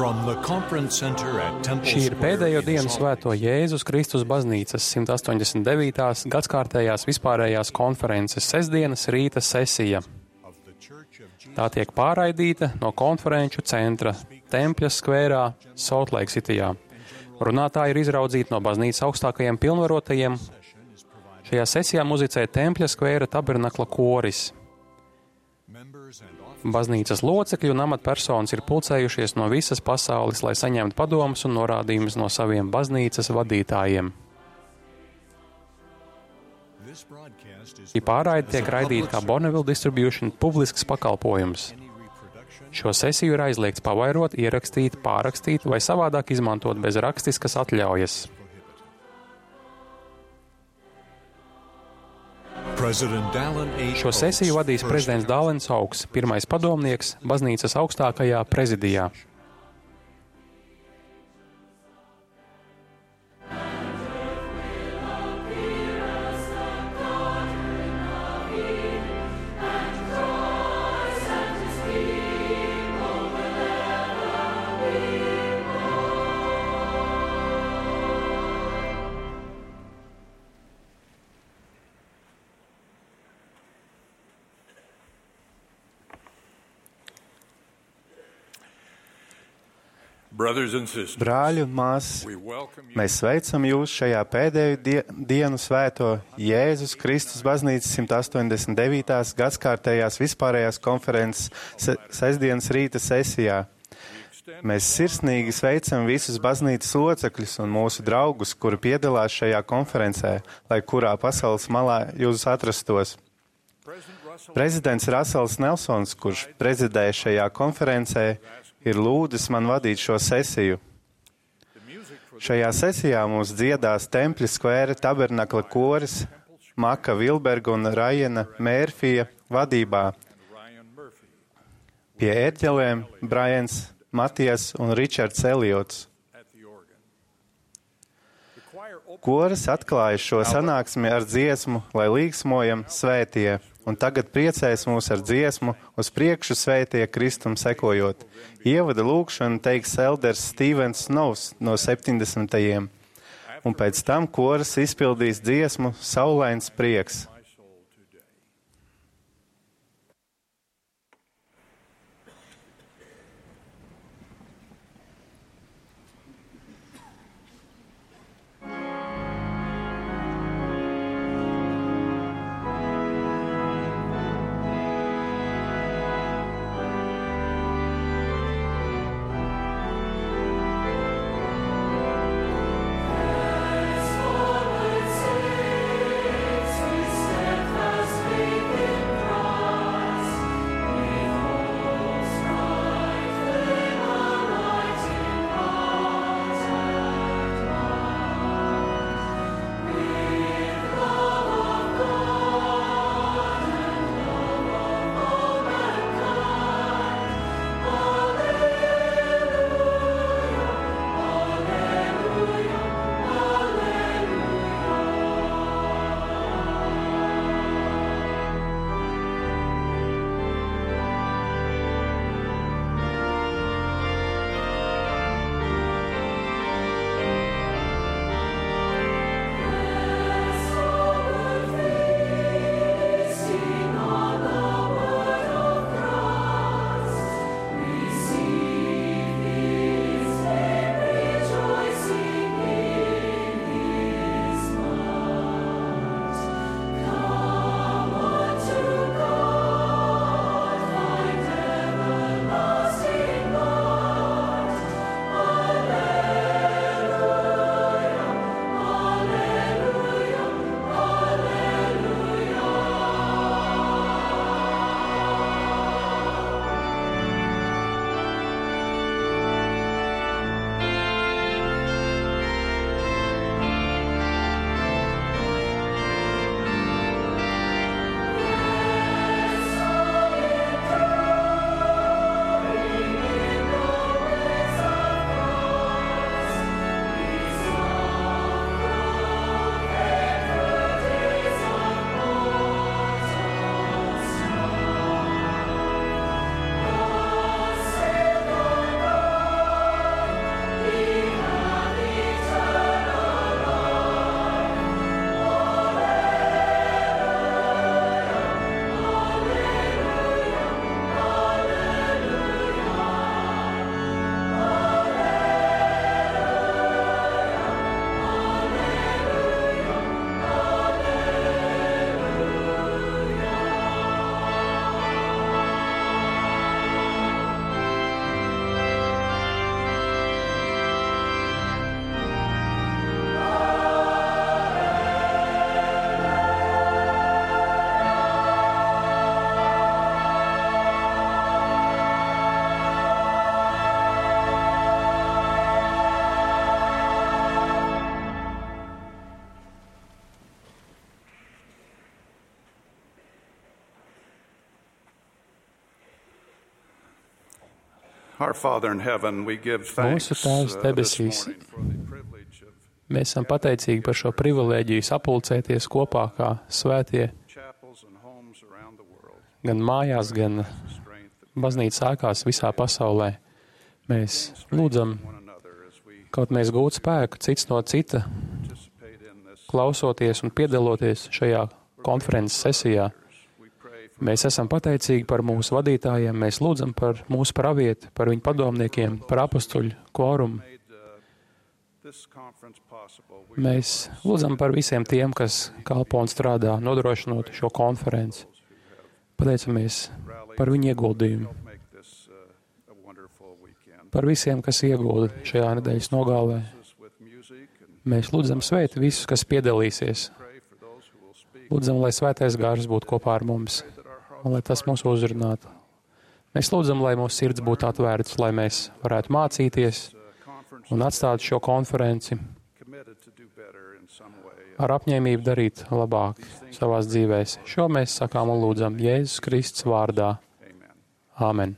Šī ir pēdējo dienu svēto Jēzus Kristus baznīcas 189. gadskārtējās vispārējās konferences sestdienas rīta sesija. Tā tiek pārraidīta no konferenču centra Tempļa skvērā, Salt Lake Cityjā. Runātāji ir izraudzīti no baznīcas augstākajiem pilnvarotajiem. Šajā sesijā muzicē Tempļa skvēra tabernakla koris. Baznīcas locekļi un amatpersonas ir pulcējušies no visas pasaules, lai saņemtu padomus un norādījumus no saviem baznīcas vadītājiem. Šī pārraide tiek raidīta kā Bonneville Distribution publisks pakalpojums. Šo sesiju ir aizliegts pavairot, ierakstīt, pārrakstīt vai savādāk izmantot bez rakstiskas atļaujas. Šo sesiju vadīs prezidents Dālens Augs, pirmais padomnieks baznīcas augstākajā prezidijā. Brāļi un māsas, mēs sveicam jūs šajā pēdējo dienu svēto Jēzus Kristus baznīcas 189. gadskārtējās vispārējās konferences sestdienas rīta sesijā. Mēs sirsnīgi sveicam visus baznīcas locekļus un mūsu draugus, kuri piedalās šajā konferencē, lai kurā pasaules malā jūs atrastos. Prezidents Rasels Nelsons, kurš prezidēja šajā konferencē, ir lūdzis man vadīt šo sesiju. Šajā sesijā mums dziedās Tempļa skvēra tabernakla koris Maka Vilberga un Rajana Mērfija vadībā. Pie ērģelēm Brians Matijas un Ričards Eliots. Koris atklāja šo sanāksmi ar dziesmu, lai līgsmojam svētie, un tagad priecēs mūs ar dziesmu uz priekšu svētie Kristum sekojot. Ievada lūgšanu teiks elders Stevens Snows no 70. Un pēc tam koris izpildīs dziesmu Saulains prieks. Stay. Mūsu Tēvs debesīs, mēs esam pateicīgi par šo privilēģiju sapulcēties kopā kā svētie, gan mājās, gan baznīcas ēkās visā pasaulē. Mēs lūdzam, kaut mēs gūtu spēku cits no cita, klausoties un piedaloties šajā konferences sesijā. Mēs esam pateicīgi par mūsu vadītājiem, mēs lūdzam par mūsu pravieti, par viņu padomniekiem, par apostuļu kvorumu. Mēs lūdzam par visiem tiem, kas kalpo un strādā, nodrošinot šo konferenci. Pateicamies par viņu ieguldījumu. Par visiem, kas iegulda šajā nedēļas nogalē. Mēs lūdzam svētī visus, kas piedalīsies. Lūdzam, lai svētais gārs būtu kopā ar mums, un lai tas mūs uzrunātu. Mēs lūdzam, lai mūsu sirds būtu atvērts, lai mēs varētu mācīties un atstāt šo konferenci ar apņēmību darīt labāk savās dzīvēs. Šo mēs sakām un lūdzam Jēzus Kristus vārdā. Āmen.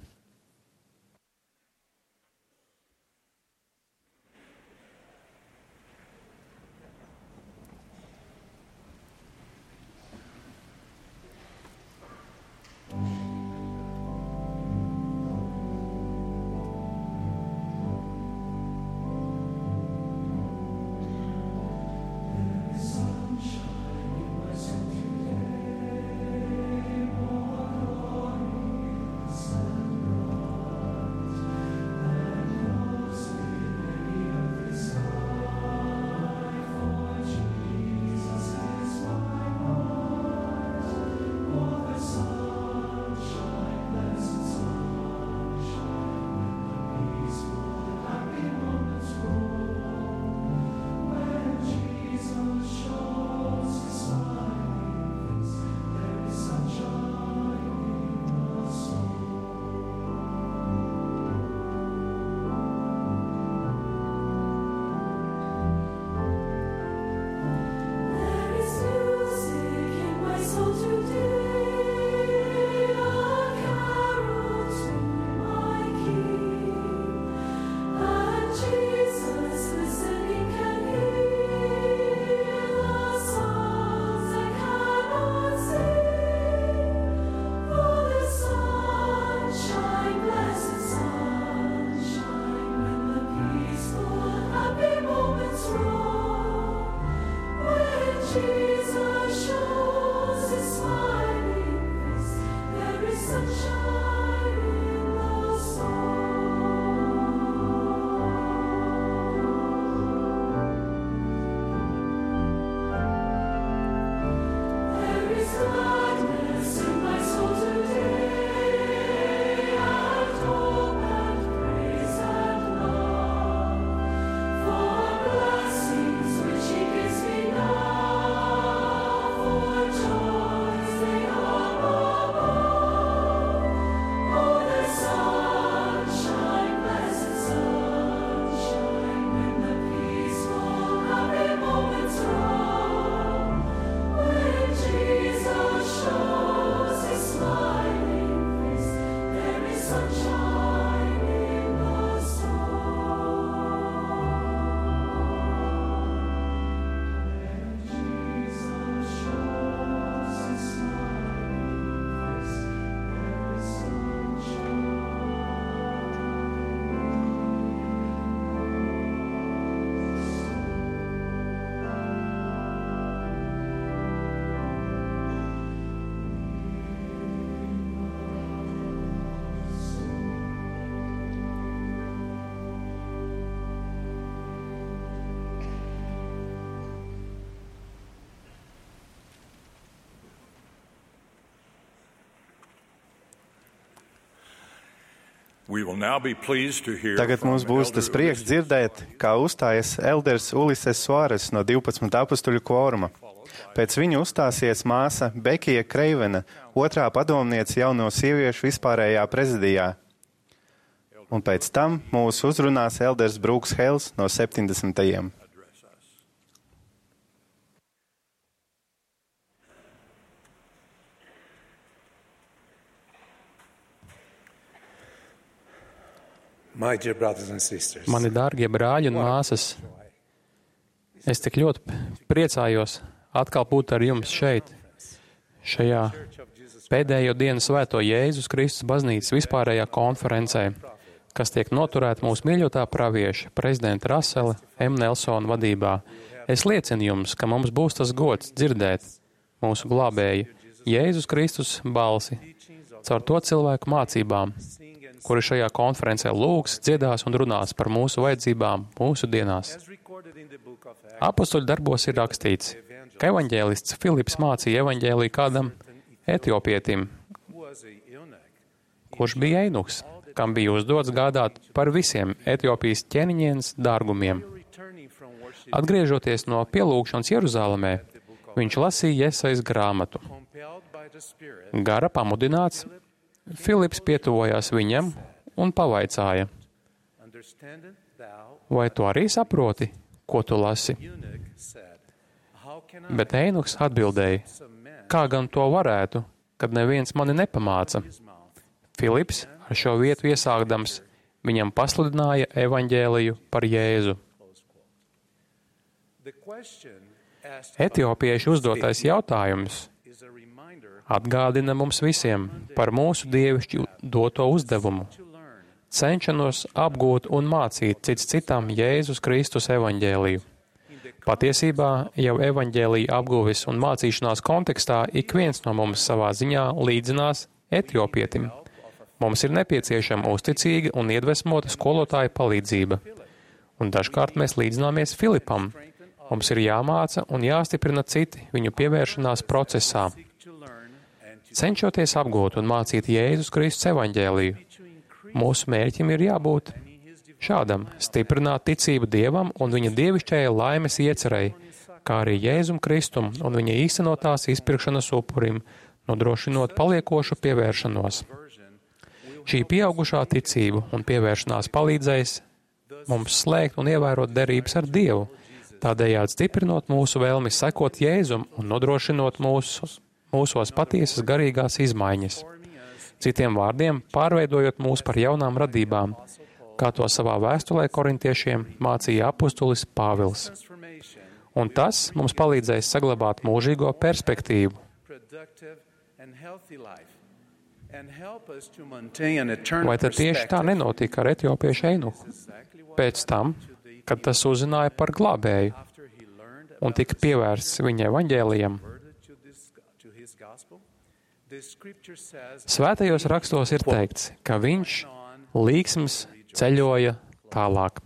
Tagad mums būs tas prieks dzirdēt, kā uzstājas elders Ulises Suāres no 12 apostuļu kvoruma. Pēc viņa uzstāsies māsa Bekija Kreivena, otrā padomniece jauno sieviešu vispārējā prezidijā. Un pēc tam mūs uzrunās elders Brūks Hels no 70. Mani dārgie brāļi un māsas, es tik ļoti priecājos atkal būt ar jums šeit, šajā pēdējo dienu svēto Jēzus Kristus baznīcas vispārējā konferencē, kas tiek noturēta mūsu mīļotā pravieša, prezidenta Rasela M. Nelsona vadībā. Es liecinu jums, ka mums būs tas gods dzirdēt mūsu glābēju Jēzus Kristus balsi caur to cilvēku mācībām, kuri šajā konferencē lūgs, dziedās un runās par mūsu vajadzībām mūsu dienās. Apostoļu darbos ir rakstīts, ka evaņģēlists Filips mācīja evaņģēliju kādam etiopietim, kurš bija einuks, kam bija uzdots gādāt par visiem Etiopijas ķēniņienes dārgumiem. Atgriežoties no pielūgšanas Jeruzālēmē, viņš lasīja Jesajas grāmatu. Gara pamudināts, Filips pietuvojās viņam un pavaicāja: vai tu arī saproti, ko tu lasi? Bet einuks atbildēja: kā gan to varētu, kad neviens mani nepamāca? Filips ar šo vietu iesākdams viņam pasludināja evaņģēliju par Jēzu. Etiopiešu uzdotais jautājums atgādina mums visiem par mūsu dievišķi doto uzdevumu, cenšanos apgūt un mācīt cits citam Jēzus Kristus evaņģēliju. Patiesībā jau evaņģēlija apguves un mācīšanās kontekstā ik viens no mums savā ziņā līdzinās etiopietim. Mums ir nepieciešama uzticīga un iedvesmota skolotāja palīdzība. Un dažkārt mēs līdzināmies Filipam. Mums ir jāmāca un jāstiprina citi viņu pievēršanās procesā. Cenšoties apgūt un mācīt Jēzus Kristus evaņģēliju, mūsu mērķim ir jābūt šādam – stiprināt ticību Dievam un viņa dievišķajai laimes iecerei, kā arī Jēzum Kristum un viņa īstenotās izpirkšanas upurim, nodrošinot paliekošu pievēršanos. Šī pieaugušā ticība un pievēršanās palīdzēs mums slēgt un ievērot derības ar Dievu, tādējādi stiprinot mūsu vēlmi sekot Jēzum un nodrošinot mūsos patiesas garīgās izmaiņas. Citiem vārdiem, pārveidojot mūs par jaunām radībām, kā to savā vēstulē korintiešiem mācīja apustulis Pāvils. Un tas mums palīdzēs saglabāt mūžīgo perspektīvu. Vai tad tieši tā nenotika ar etiopiešu einuku? Pēc tam, kad tas uzzināja par glābēju un tika pievērsts viņa evaņģēlijam. Svētajos rakstos ir teikts, ka viņš līksms ceļoja tālāk.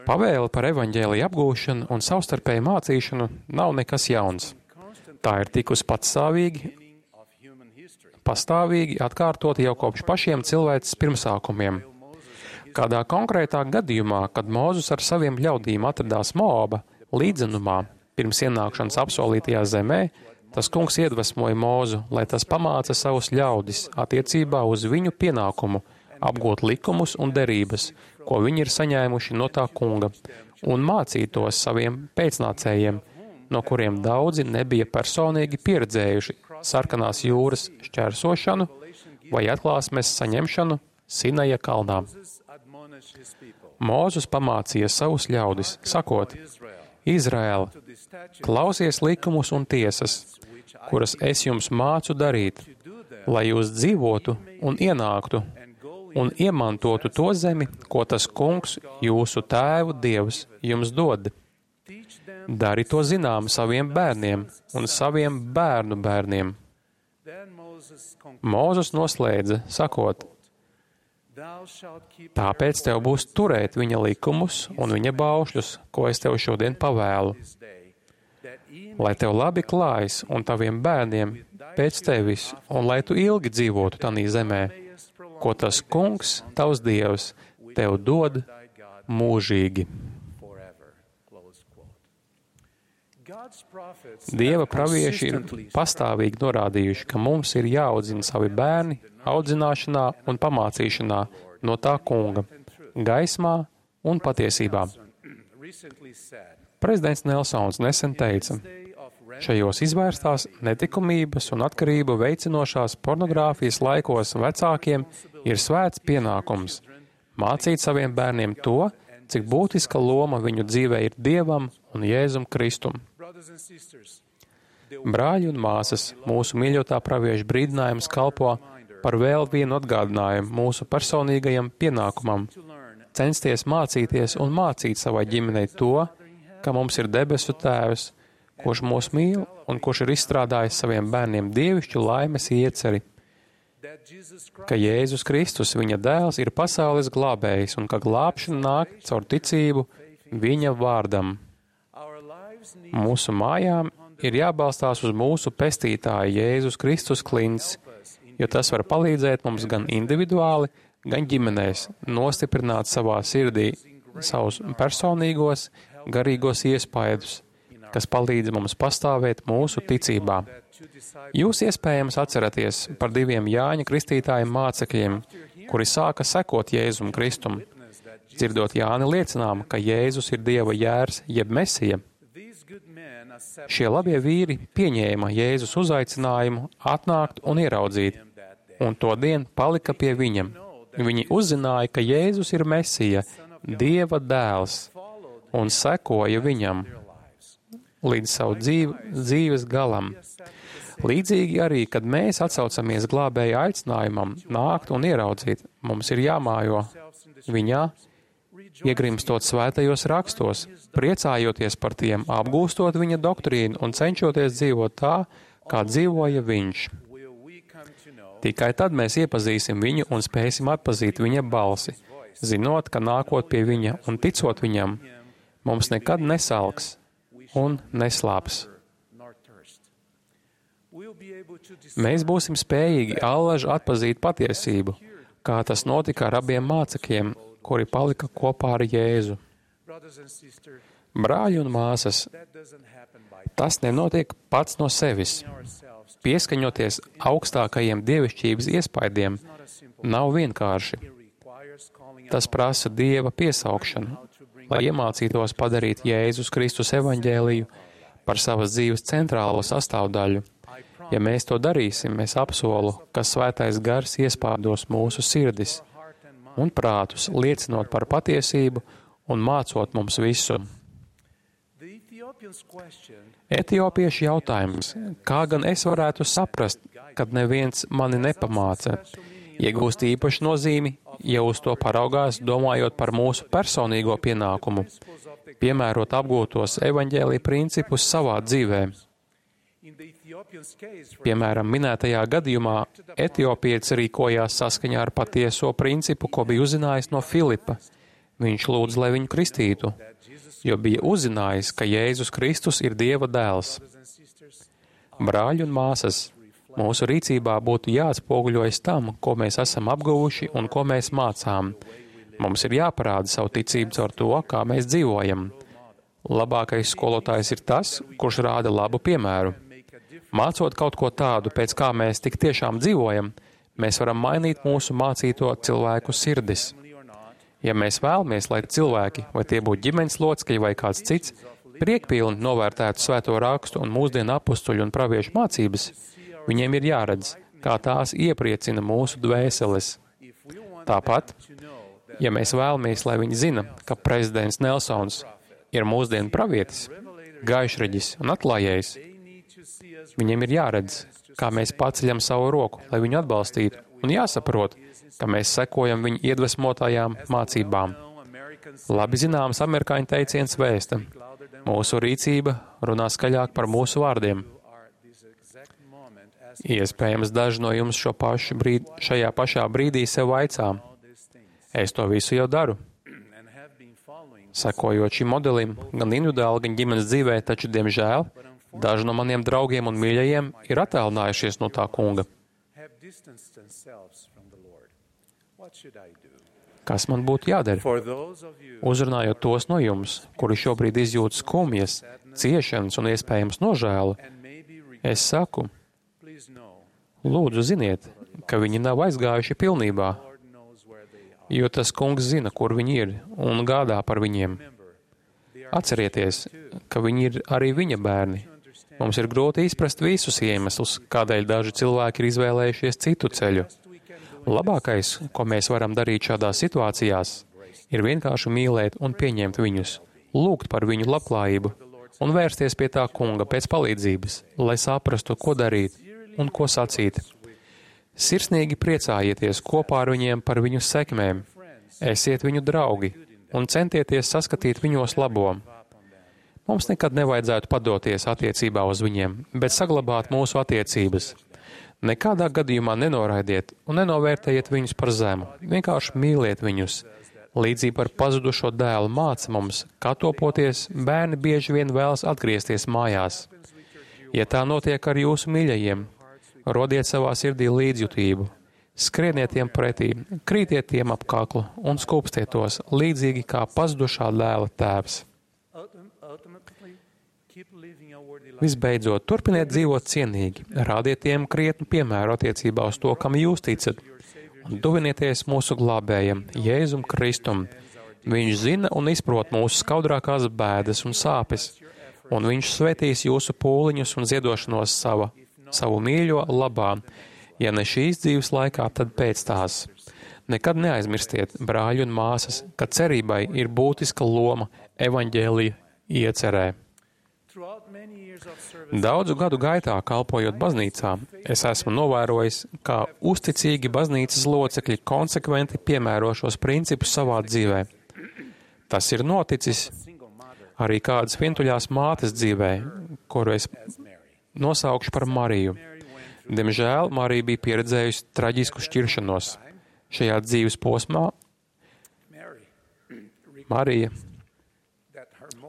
Pavēle par evaņģēliju apgūšanu un savstarpēju mācīšanu nav nekas jauns. Tā ir tikusi pastāvīgi atkārtot jau kopš pašiem cilvēces pirmsākumiem. Kādā konkrētā gadījumā, kad Mūzes ar saviem ļaudīm atradās Moaba līdzenumā pirms ienākšanas apsolītajā zemē, tas kungs iedvesmoja Mūzu, lai tas pamāca savus ļaudis attiecībā uz viņu pienākumu apgūt likumus un derības, ko viņi ir saņēmuši no tā kunga, un mācītos saviem pēcnācējiem, no kuriem daudzi nebija personīgi pieredzējuši Sarkanās jūras šķērsošanu vai atklāsmes saņemšanu Sinaja kalnā. Mūzes pamācīja savus ļaudis, sakot: Izraēla, klausies likumus un tiesas, kuras es jums mācu darīt, lai jūs dzīvotu un ienāktu un iemantotu to zemi, ko tas kungs, jūsu tēvu Dievs, jums dod. Dari to zinām saviem bērniem un saviem bērnu bērniem. Mūzes noslēdza, sakot: Tāpēc tev būs turēt viņa likumus un viņa baušļus, ko es tev šodien pavēlu, lai tev labi klājas un taviem bērniem pēc tevis, un lai tu ilgi dzīvotu tanī zemē, ko tas kungs, tavs Dievs, tev dod mūžīgi. Dieva pravieši ir pastāvīgi norādījuši, ka mums ir jāaudzina savi bērni audzināšanā un pamācīšanā no tā kunga, gaismā un patiesībā. Prezidents Nelsons nesen teica, Šajos izvērstās netikumības un atkarību veicinošās pornogrāfijas laikos vecākiem ir svēts pienākums mācīt saviem bērniem to, cik būtiska loma viņu dzīvē ir Dievam un Jēzum Kristum. Brāļi un māsas, mūsu mīļotā pravieša brīdinājums kalpo par vēl vienu atgādinājumu mūsu personīgajam pienākumam – censties mācīties un mācīt savai ģimenei to, ka mums ir debesu Tēvs, kurš mūs mīl un kurš ir izstrādājis saviem bērniem dievišķu laimes ieceri, ka Jēzus Kristus, viņa dēls, ir pasaules glābējs un ka glābšana nāk caur ticību viņa vārdam. Mūsu mājām ir jābalstās uz mūsu pestītāja Jēzus Kristus klints, jo tas var palīdzēt mums gan individuāli, gan ģimenēs nostiprināt savā sirdī savus personīgos, garīgos iespaidus, kas palīdz mums pastāvēt mūsu ticībā. Jūs iespējams atceraties par 2 Jāņa Kristītāja mācekļiem, kuri sāka sekot Jēzum Kristum, dzirdot Jāni liecinām, ka Jēzus ir Dieva jērs jeb Mesija. Šie labie vīri pieņēma Jēzus uzaicinājumu atnākt un ieraudzīt, un to dienu palika pie viņam. Viņi uzzināja, ka Jēzus ir Mesija, Dieva dēls, un sekoja viņam līdz savu dzīves galam. Līdzīgi arī, kad mēs atsaucamies glābēja aicinājumam nākt un ieraudzīt, mums ir jāmājo viņā, iegrimstot svētajos rakstos, priecājoties par tiem, apgūstot viņa doktrīnu un cenšoties dzīvot tā, kā dzīvoja viņš. Tikai tad mēs iepazīsim viņu un spēsim atpazīt viņa balsi, zinot, ka nākot pie viņa un ticot viņam, mums nekad nesalks un neslāps. Mēs būsim spējīgi allaži atpazīt patiesību, kā tas notika ar abiem mācekļiem, kuri palika kopā ar Jēzu. Brāļi un māsas, tas nenotiek pats no sevis. Pieskaņoties augstākajiem dievišķības iespaidiem nav vienkārši. Tas prasa Dieva piesaukšanu, lai iemācītos padarīt Jēzus Kristus evaņģēliju par savas dzīves centrālo sastāvdaļu. Ja mēs to darīsim, es apsolu, ka Svētais Gars iespādos mūsu sirdis un prātus, liecinot par patiesību un mācot mums visu. Etiopiešu jautājums, kā gan es varētu saprast, kad neviens mani nepamāca, iegūst īpašu nozīmi, ja uz to paraugās, domājot par mūsu personīgo pienākumu, piemērot apgūtos evaņģēlija principus savā dzīvē. Piemēram, minētajā gadījumā etiopietis rīkojās saskaņā ar patieso principu, ko bija uzzinājis no Filipa. Viņš lūdz, lai viņu kristītu, jo bija uzzinājis, ka Jēzus Kristus ir Dieva dēls. Brāļi un māsas, mūsu rīcībā būtu jāatspoguļojas tam, ko mēs esam apguvuši un ko mēs mācām. Mums ir jāparāda savu ticību caur to, kā mēs dzīvojam. Labākais skolotājs ir tas, kurš rāda labu piemēru. Mācot kaut ko tādu, pēc kā mēs tik tiešām dzīvojam, mēs varam mainīt mūsu mācīto cilvēku sirdis. Ja mēs vēlamies, lai cilvēki, vai tie būtu ģimenes locekļi vai kāds cits, priekpilni novērtētu svēto rakstu un mūsdienu apustuļu un praviešu mācības, viņiem ir jāredz, kā tās iepriecina mūsu dvēseles. Tāpat, ja mēs vēlamies, lai viņi zina, ka prezidents Nelsons ir mūsdienu pravietis, gaišreģis un atklājējs, viņiem ir jāredz, kā mēs paceļam savu roku, lai viņu atbalstītu, un jāsaprot, ka mēs sekojam viņu iedvesmotājām mācībām. Labi zināms amerikāņu teiciens vēsta: mūsu rīcība runā skaļāk par mūsu vārdiem. Iespējams, daži no jums šajā pašā brīdī sev vaicā: es to visu jau daru. Sekojot šim modelim, gan individuāli, gan ģimenes dzīvē, taču, diemžēl, daži no maniem draugiem un mīļajiem ir attālinājušies no tā kunga. Kas man būtu jādara? Uzrunājot tos no jums, kuri šobrīd izjūt skumjas, ciešanas un iespējams nožēlu, es saku, lūdzu ziniet, ka viņi nav aizgājuši pilnībā, jo tas kungs zina, kur viņi ir, un gādā par viņiem. Atcerieties, ka viņi ir arī viņa bērni. Mums ir grūti izprast visus iemeslus, kādēļ daži cilvēki ir izvēlējušies citu ceļu. Labākais, ko mēs varam darīt šādās situācijās, ir vienkārši mīlēt un pieņemt viņus, lūgt par viņu labklājību un vērsties pie tā kunga pēc palīdzības, lai saprastu, ko darīt un ko sacīt. Sirsnīgi priecājieties kopā ar viņiem par viņu sekmēm, esiet viņu draugi un centieties saskatīt viņos labo. Mums nekad nevajadzētu padoties attiecībā uz viņiem, bet saglabāt mūsu attiecības. Nekādā gadījumā nenoraidiet un nenovērtējiet viņus par zemu, vienkārši mīliet viņus. Līdzība ar pazudušo dēlu māca mums, kā topoties, bērni bieži vien vēlas atgriezties mājās. Ja tā notiek ar jūsu mīļajiem, rodiet savā sirdī līdzjūtību, skrieniet tiem pretī, krītiet tiem ap kaklu un skūpstiet tos, līdzīgi kā pazudušā dēla tēvs. Visbeidzot, turpiniet dzīvot cienīgi, rādiet tiem krietnu piemēru attiecībā uz to, kam jūs ticat, un tuvinieties mūsu glābējam, Jēzum Kristum. Viņš zina un izprot mūsu skaudrākās bēdas un sāpes, un viņš svētīs jūsu pūliņus un ziedošanos savu mīļo labā, ja ne šīs dzīves laikā, tad pēc tās. Nekad neaizmirstiet, brāļi un māsas, ka cerībai ir būtiska loma evaņģēlija iecerē. Daudzu gadu gaitā, kalpojot baznīcā, es esmu novērojis, kā uzticīgi baznīcas locekļi konsekventi piemēro šos principus savā dzīvē. Tas ir noticis arī kādas vientuļās mātes dzīvē, kuru es nosaukšu par Mariju. Diemžēl Marija bija pieredzējusi traģisku šķiršanos. Šajā dzīves posmā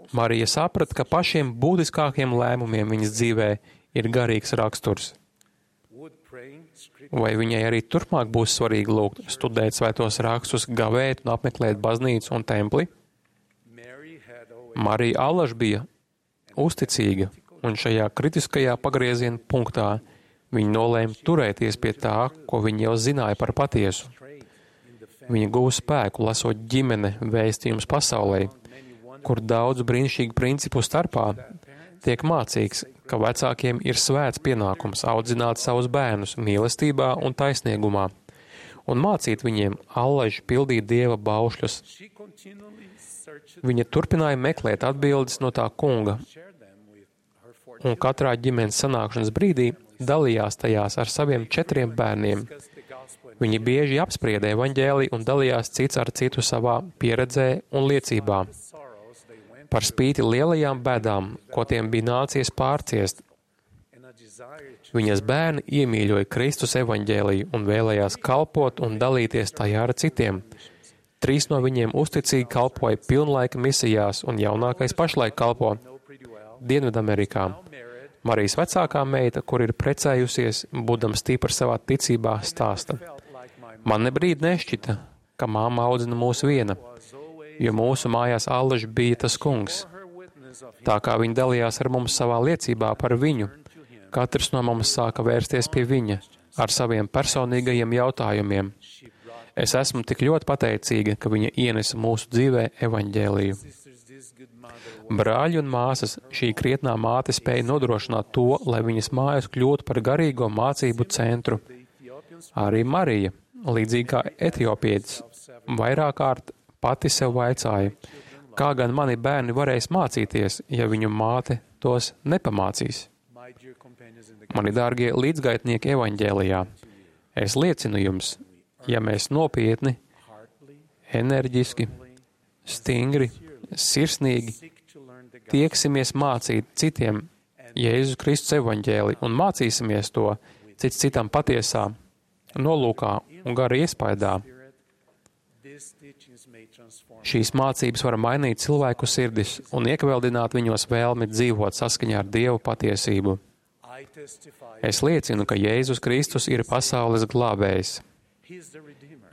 Marija saprata, ka pašiem būtiskākiem lēmumiem viņas dzīvē ir garīgs raksturs. Vai viņai arī turpmāk būs svarīgi lūgt, studēt svētos rakstus, gavēt un apmeklēt baznīcu un templi? Marija allaž bija uzticīga, un šajā kritiskajā pagrieziena punktā viņa nolēma turēties pie tā, ko viņa jau zināja par patiesu. Viņa guva spēku, lasot ģimene vēstījums pasaulē, kur daudzu brīnišķīgu principu starpā tiek mācīts, ka vecākiem ir svēts pienākums audzināt savus bērnus mīlestībā un taisnīgumā, un mācīt viņiem allaži pildīt Dieva baušļus. Viņa turpināja meklēt atbildes no tā kunga, un katrā ģimenes sanākšanas brīdī dalījās tajās ar saviem 4 bērniem. Viņi bieži apsprieda evaņģēliju un dalījās cits ar citu savā pieredzē un liecībā. Par spīti lielajām bēdām, ko tiem bija nācies pārciest, viņas bērni iemīļoja Kristus evaņģēliju un vēlējās kalpot un dalīties tajā ar citiem. 3 no viņiem uzticīgi kalpoja pilnlaika misijās, un jaunākais pašlaik kalpo Dienvidamerikā. Marijas vecākā meita, kur ir precējusies, būdama stipra savā ticībā, stāsta: Man nebrīd nešķita, ka māma audzina mūs viena, jo mūsu mājās allaži bija tas kungs. Tā kā viņa dalījās ar mums savā liecībā par viņu, katrs no mums sāka vērsties pie viņa ar saviem personīgajiem jautājumiem. Es esmu tik ļoti pateicīga, ka viņa ienesa mūsu dzīvē evaņģēliju. Brāļi un māsas, šī krietnā māte spēja nodrošināt to, lai viņas mājas kļūtu par garīgo mācību centru. Arī Marija, līdzīgi kā etiopietis, vairāk kārt pati sev vaicāja, kā gan mani bērni varēs mācīties, ja viņu māte tos nepamācīs. Mani dārgie līdzgaitnieki evaņģēlijā, es liecinu jums, ja mēs nopietni, enerģiski, stingri, sirsnīgi tieksimies mācīt citiem Jēzus Kristus evaņģēliju un mācīsimies to cits citam patiesā, nolūkā un gara iespaidā, šīs mācības var mainīt cilvēku sirdis un iekveldināt viņos vēlmi dzīvot saskaņā ar Dievu patiesību. Es liecinu, ka Jēzus Kristus ir pasaules glābējs.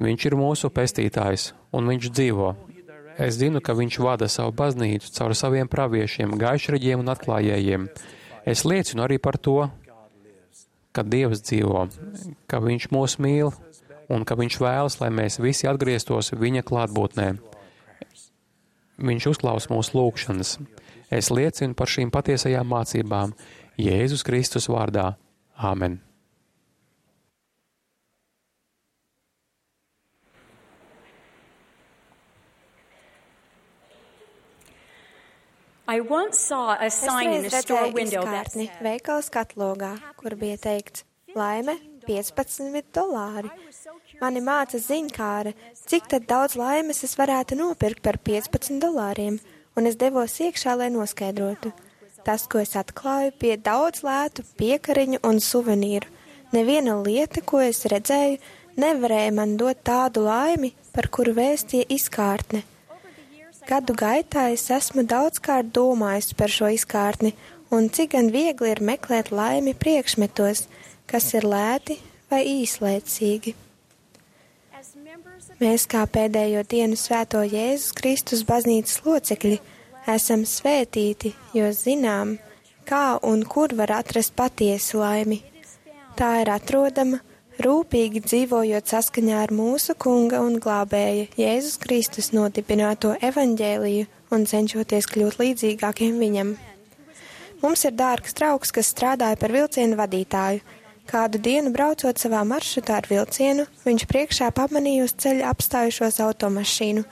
Viņš ir mūsu pestītājs, un viņš dzīvo. Es zinu, ka viņš vada savu baznīcu caur saviem praviešiem, gaišreģiem un atklājējiem. Es liecinu arī par to, ka Dievs dzīvo, ka viņš mūs mīl un ka viņš vēlas, lai mēs visi atgrieztos viņa klātbūtnē. Viņš uzklaus mūsu lūgšanas. Es liecinu par šīm patiesajām mācībām Jēzus Kristus vārdā. Āmen. I once saw a sign in a store window that said, veikala skatlogā, kur bija teikts, laime $15. Mani māca ziņkāre, cik tad daudz laimes es varētu nopirkt par $15, un es devos iekšā, lai noskaidrotu. Tas, ko es atklāju, bija daudz lētu piekariņu un suvenīru. Neviena lieta, ko es redzēju, nevarēja man dot tādu laimi, par kuru vēstīja izkārtne. Gadu gaitā es esmu daudzkārt domājis par šo izkārtni, un cik gan viegli ir meklēt laimi priekšmetos, kas ir lēti vai īslaicīgi. Mēs, kā pēdējo dienu svēto Jēzus Kristus baznīcas locekļi, esam svētīti, jo zinām, kā un kur var atrast patiesu laimi. Tā ir atrodama, rūpīgi dzīvojot saskaņā ar mūsu Kunga un glābēja Jēzus Kristus nodibināto evaņģēliju un cenšoties kļūt līdzīgākiem viņam. Mums ir dārgs draugs, kas strādāja par vilcienu vadītāju. Kādu dienu braucot savā maršrutā ar vilcienu, viņš priekšā pamanīja uz ceļa apstājušos automašīnu.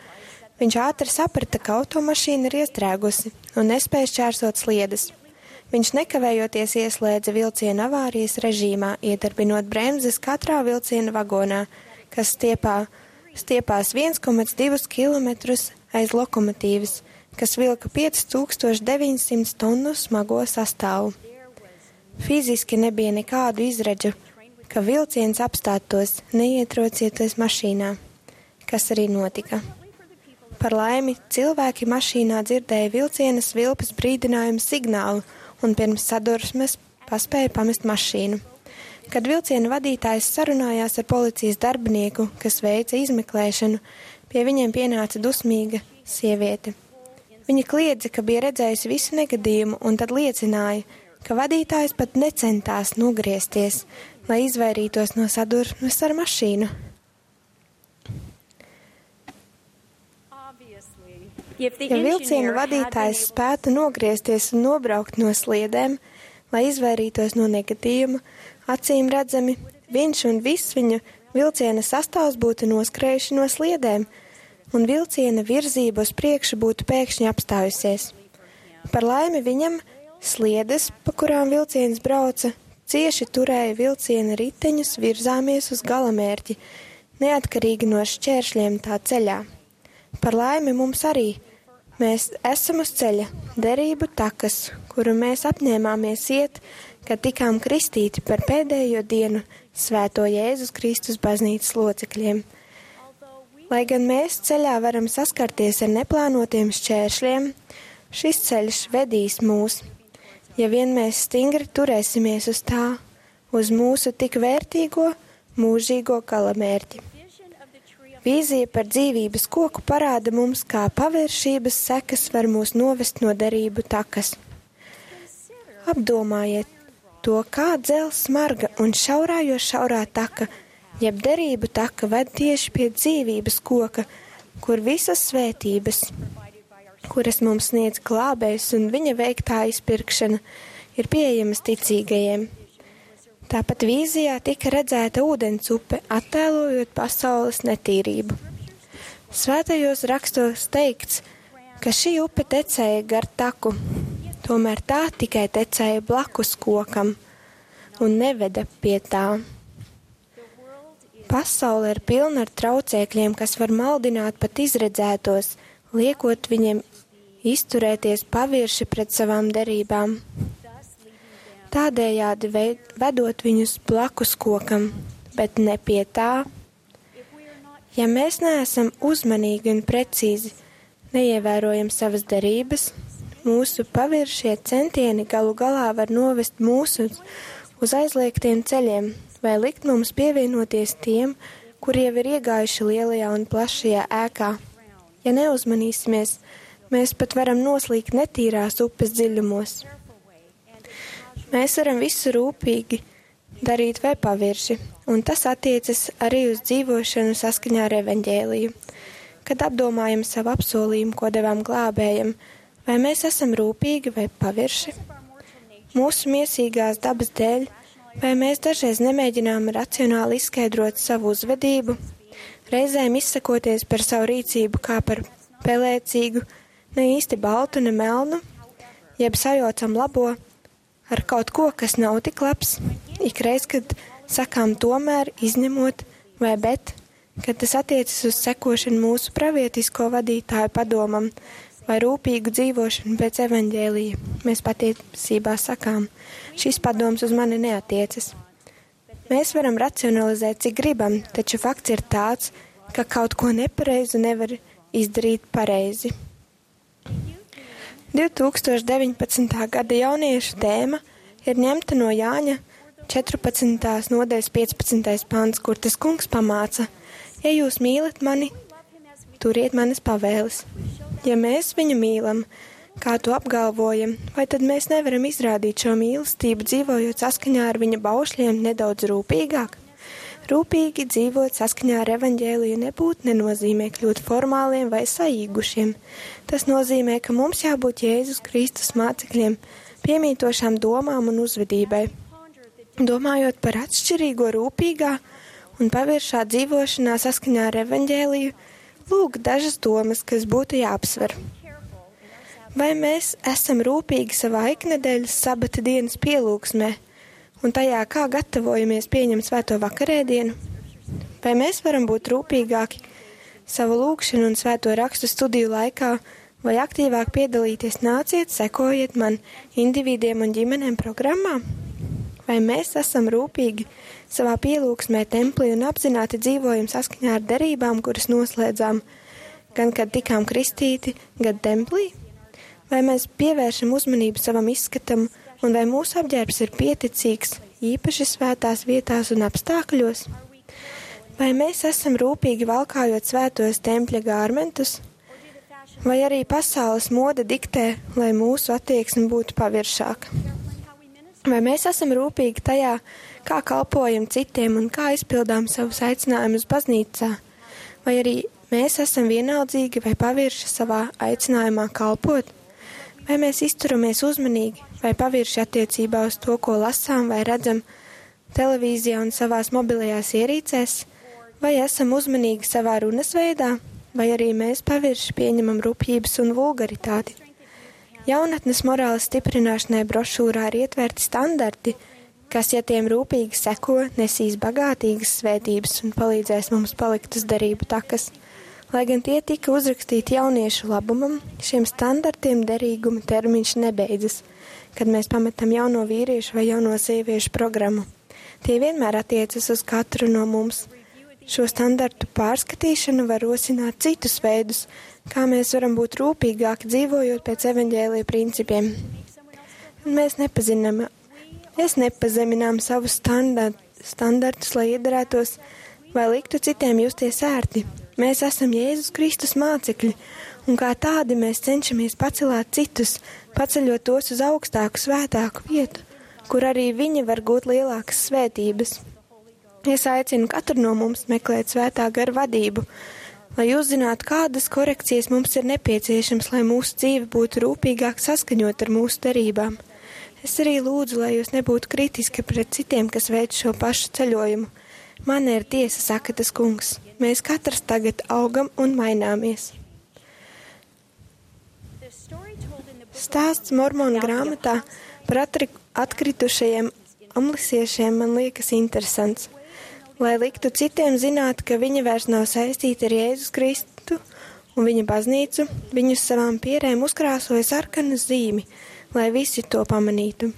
Viņš ātri saprata, ka automašīna ir iestrēgusi un nespēja šķērsot sliedes. Viņš nekavējoties ieslēdza vilciena avārijas režīmā, iedarbinot bremzes katrā vilciena vagonā, kas stiepās 1,2 km aiz lokomotīvas, kas vilka 5900 tonu smago sastāvu. Fiziski nebija nekādu izredzu, ka vilciens apstātos, neietrocieties mašīnā, kas arī notika. Par laimi, cilvēki mašīnā dzirdēja vilciena svilpes brīdinājumu signālu, un pirms sadursmes paspēja pamest mašīnu. Kad vilciena vadītājs sarunājās ar policijas darbinieku, kas veica izmeklēšanu, pie viņiem pienāca dusmīga sieviete. Viņa kliedza, ka bija redzējusi visu negadījumu, un tad liecināja, ka vadītājs pat necentās nogriezties, lai izvairītos no sadursmes ar mašīnu. Ja vilciena vadītājs spētu nogriezties un nobraukt no sliedēm, lai izvairītos no negadījuma, acīm redzami, viņš un viss viņa vilciena sastāvs būtu noskrējuši no sliedēm, un vilciena virzība uz priekšu būtu pēkšņi apstājusies. Par laimi viņam sliedes, pa kurām vilciens brauca, cieši turēja vilciena riteņus virzāmies uz galamērķi, neatkarīgi no šķēršļiem tā ceļā. Par laimi mums arī. Mēs esam uz ceļa, derību takas, kuru mēs apņēmāmies iet, kad tikām kristīti par pēdējo dienu svēto Jēzus Kristus baznīcas locekļiem. Lai gan mēs ceļā varam saskarties ar neplānotiem šķēršļiem, šis ceļš vedīs mūs, ja vien mēs stingri turēsimies uz tā, uz mūsu tik vērtīgo, mūžīgo galamērķi. Vīzija par dzīvības koku parāda mums, kā paviršības sekas var mūs novest no derību takas. Apdomājiet to, kā dzelzs smarga un šaurā jo šaurā taka, jeb derību taka ved tieši pie dzīvības koka, kur visas svētības, kuras mums sniedz glābējs un viņa veiktā izpirkšana, ir pieejamas ticīgajiem. Tāpat vīzijā tika redzēta ūdens upe, attēlojot pasaules netīrību. Svētajos rakstos teikts, ka šī upe tecēja gar taku, tomēr tā tikai tecēja blakus kokam un neveda pie tā. Pasaule ir pilna ar traucēkļiem, kas var maldināt pat izredzētos, liekot viņiem izturēties pavirši pret savām derībām. Tādējādi vedot viņus blakus kokam, bet ne pie tā. Ja mēs neesam uzmanīgi un precīzi, neievērojam savas derības, mūsu paviršie centieni galu galā var novest mūsu uz aizliegtiem ceļiem vai likt mums pievienoties tiem, kuri jau ir iegājuši lielajā un plašajā ēkā. Ja neuzmanīsimies, mēs pat varam noslīgt netīrās upes dziļumos. Mēs varam visu rūpīgi darīt vai pavirši, un tas attiecas arī uz dzīvošanu saskaņā ar evaņģēliju. kad apdomājam savu apsolījumu, ko devām glābējam, vai mēs esam rūpīgi vai pavirši? Mūsu miesīgās dabas dēļ, vai mēs dažreiz nemēģinām racionāli izskaidrot savu uzvedību, reizēm izsakoties par savu rīcību kā par pelēcīgu, ne īsti baltu, ne melnu, jeb sajaucam labo ar kaut ko, kas nav tik labs, ikreiz, kad sakām tomēr, izņemot vai bet, kad tas attiecas uz sekošanu mūsu pravietisko vadītāju padomam vai rūpīgu dzīvošanu pēc evaņģēlija. Mēs patiesībā sakām, šis padoms uz mani neatiecas. Mēs varam racionalizēt, cik gribam, taču fakts ir tāds, ka kaut ko nepareizu nevar izdarīt pareizi. 2019. gada jauniešu tēma ir ņemta no Jāņa 14. nodaļas 15. pants, kur tas kungs pamāca: ja jūs mīlat mani, turiet manas pavēles. Ja mēs viņu mīlam, kā to apgalvojam, vai tad mēs nevaram izrādīt šo mīlestību, dzīvojot saskaņā ar viņa baušļiem nedaudz rūpīgāk? Rūpīgi dzīvot saskaņā ar evaņģēliju nebūtu nenozīmē kļūt formāliem vai saīgušiem. Tas nozīmē, ka mums jābūt Jēzus Kristus mācekļiem, piemītošām domām un uzvedībai. Domājot par atšķirīgo rūpīgā un paviršā dzīvošanā saskaņā ar evaņģēliju, lūk dažas domas, kas būtu jāapsver. Vai mēs esam rūpīgi savā iknedēļas sabata dienas pielūgsmē un tajā, kā gatavojamies pieņemt svēto vakarēdienu? Vai mēs varam būt rūpīgāki savu lūgšanu un svēto rakstu studiju laikā, vai aktīvāk piedalīties nāciet, sekojiet man individiem un ģimenēm programmā? Vai mēs esam rūpīgi savā pielūgsmē templī un apzināti dzīvojam saskaņā ar derībām, kuras noslēdzām, gan kad tikām kristīti, gan templī? Vai mēs pievēršam uzmanību savam izskatam, un vai mūsu apģērbs ir pieticīgs, īpaši svētās vietās un apstākļos? Vai mēs esam rūpīgi valkājot svētos tempļa gārmentus? Vai arī pasaules moda diktē, lai mūsu attieksme būtu paviršāka? Vai mēs esam rūpīgi tajā, kā kalpojam citiem un kā izpildām savus aicinājumus baznīcā? Vai arī mēs esam vienaldzīgi vai pavirši savā aicinājumā kalpot? Vai mēs izturamies uzmanīgi vai pavirši attiecībā uz to, ko lasām vai redzam televīzijā un savās mobilajās ierīcēs? Vai esam uzmanīgi savā runas veidā? Vai arī mēs pavirši pieņemam rupjības un vulgaritāti? Jaunatnes morāles stiprināšanai brošūrā ir ietverti standarti, kas, ja tiem rūpīgi seko, nesīs bagātīgas svētības un palīdzēs mums palikt uz derību takas. Lai gan tie tika uzrakstīti jauniešu labumam, šiem standartiem derīguma termiņš nebeidzas, kad mēs pametam jauno vīriešu vai jauno sieviešu programmu. Tie vienmēr attiecas uz katru no mums. Šo standartu pārskatīšana var rosināt citus veidus, kā mēs varam būt rūpīgāki dzīvojot pēc evaņģēlija principiem. Mēs nepazeminām savus standartus, lai iedarētos vai liktu citiem justies ērti. Mēs esam Jēzus Kristus mācekļi, un kā tādi mēs cenšamies pacelāt citus, paceļot tos uz augstāku, svētāku vietu, kur arī viņi var gūt lielākas svētības. Es aicinu katru no mums meklēt svētā gara vadību, lai uzzinātu, kādas korekcijas mums ir nepieciešams, lai mūsu dzīve būtu rūpīgāk saskaņot ar mūsu derībām. Es arī lūdzu, lai jūs nebūtu kritiski pret citiem, kas veic šo pašu ceļojumu. Man ir tiesa, saka tas kungs. Mēs katrs tagad augam un maināmies. Stāsts Mormonu grāmatā par atkritušajiem amlisiešiem man liekas interesants. Lai liktu citiem zināt, ka viņi vairs nav saistīti ar Jēzus Kristu un viņa baznīcu, viņus savām pierēm uzkrāsoja sarkanu zīmi, lai visi to pamanītu.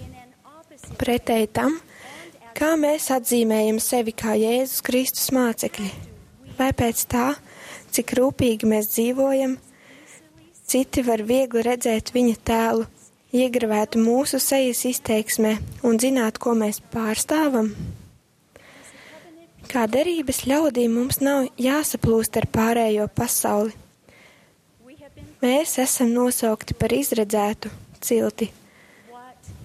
Pretēji tam, kā mēs atzīmējam sevi kā Jēzus Kristus mācekļi, vai pēc tā, cik rūpīgi mēs dzīvojam, citi var viegli redzēt viņa tēlu, iegravētu mūsu sejas izteiksmē un zināt, ko mēs pārstāvam. Kā derības ļaudīm mums nav jāsaplūst ar pārējo pasauli. Mēs esam nosaukti par izredzētu cilti.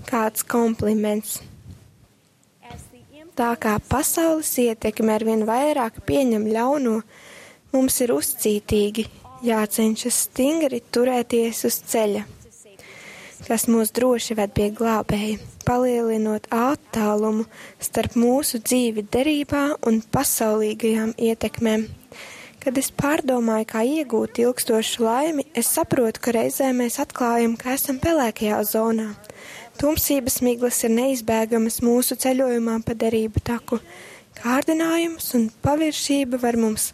Kāds kompliments. Tā kā pasaules ietekme arvien vairāk pieņem ļauno, Mums ir uzcītīgi jācenšas stingri turēties uz ceļa, kas mūs droši ved pie glābēja, palielinot attālumu starp mūsu dzīvi derībā un pasaulīgajām ietekmēm. Kad es pārdomāju, kā iegūt ilgstošu laimi, es saprotu, ka reizē mēs atklājam, ka esam pelēkajā zonā. Tumsības miglas ir neizbēgamas mūsu ceļojumā pa derību taku. Kārdinājums un paviršība var mums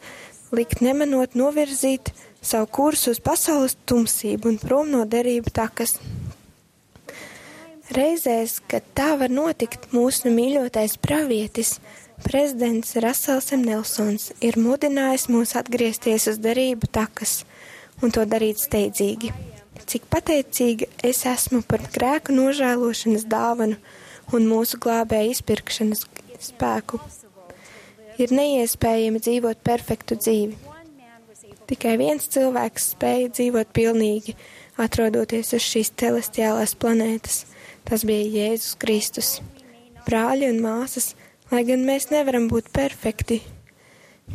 likt nemanot novirzīt savu kursu uz pasaules tumsību un prom no derību takas. Reizēs, kad tā var notikt, mūsu mīļotais pravietis, prezidents Rasels M. Nelsons, ir mudinājis mūs atgriezties uz derību takas un to darīt steidzīgi. Cik pateicīga es esmu par grēku nožēlošanas dāvanu un mūsu glābēja izpirkšanas spēku. Ir neiespējami dzīvot perfektu dzīvi. Tikai viens cilvēks spēja dzīvot pilnīgi, atrodoties uz šīs celestiālās planētas. Tas bija Jēzus Kristus. Brāļi un māsas, lai gan mēs nevaram būt perfekti,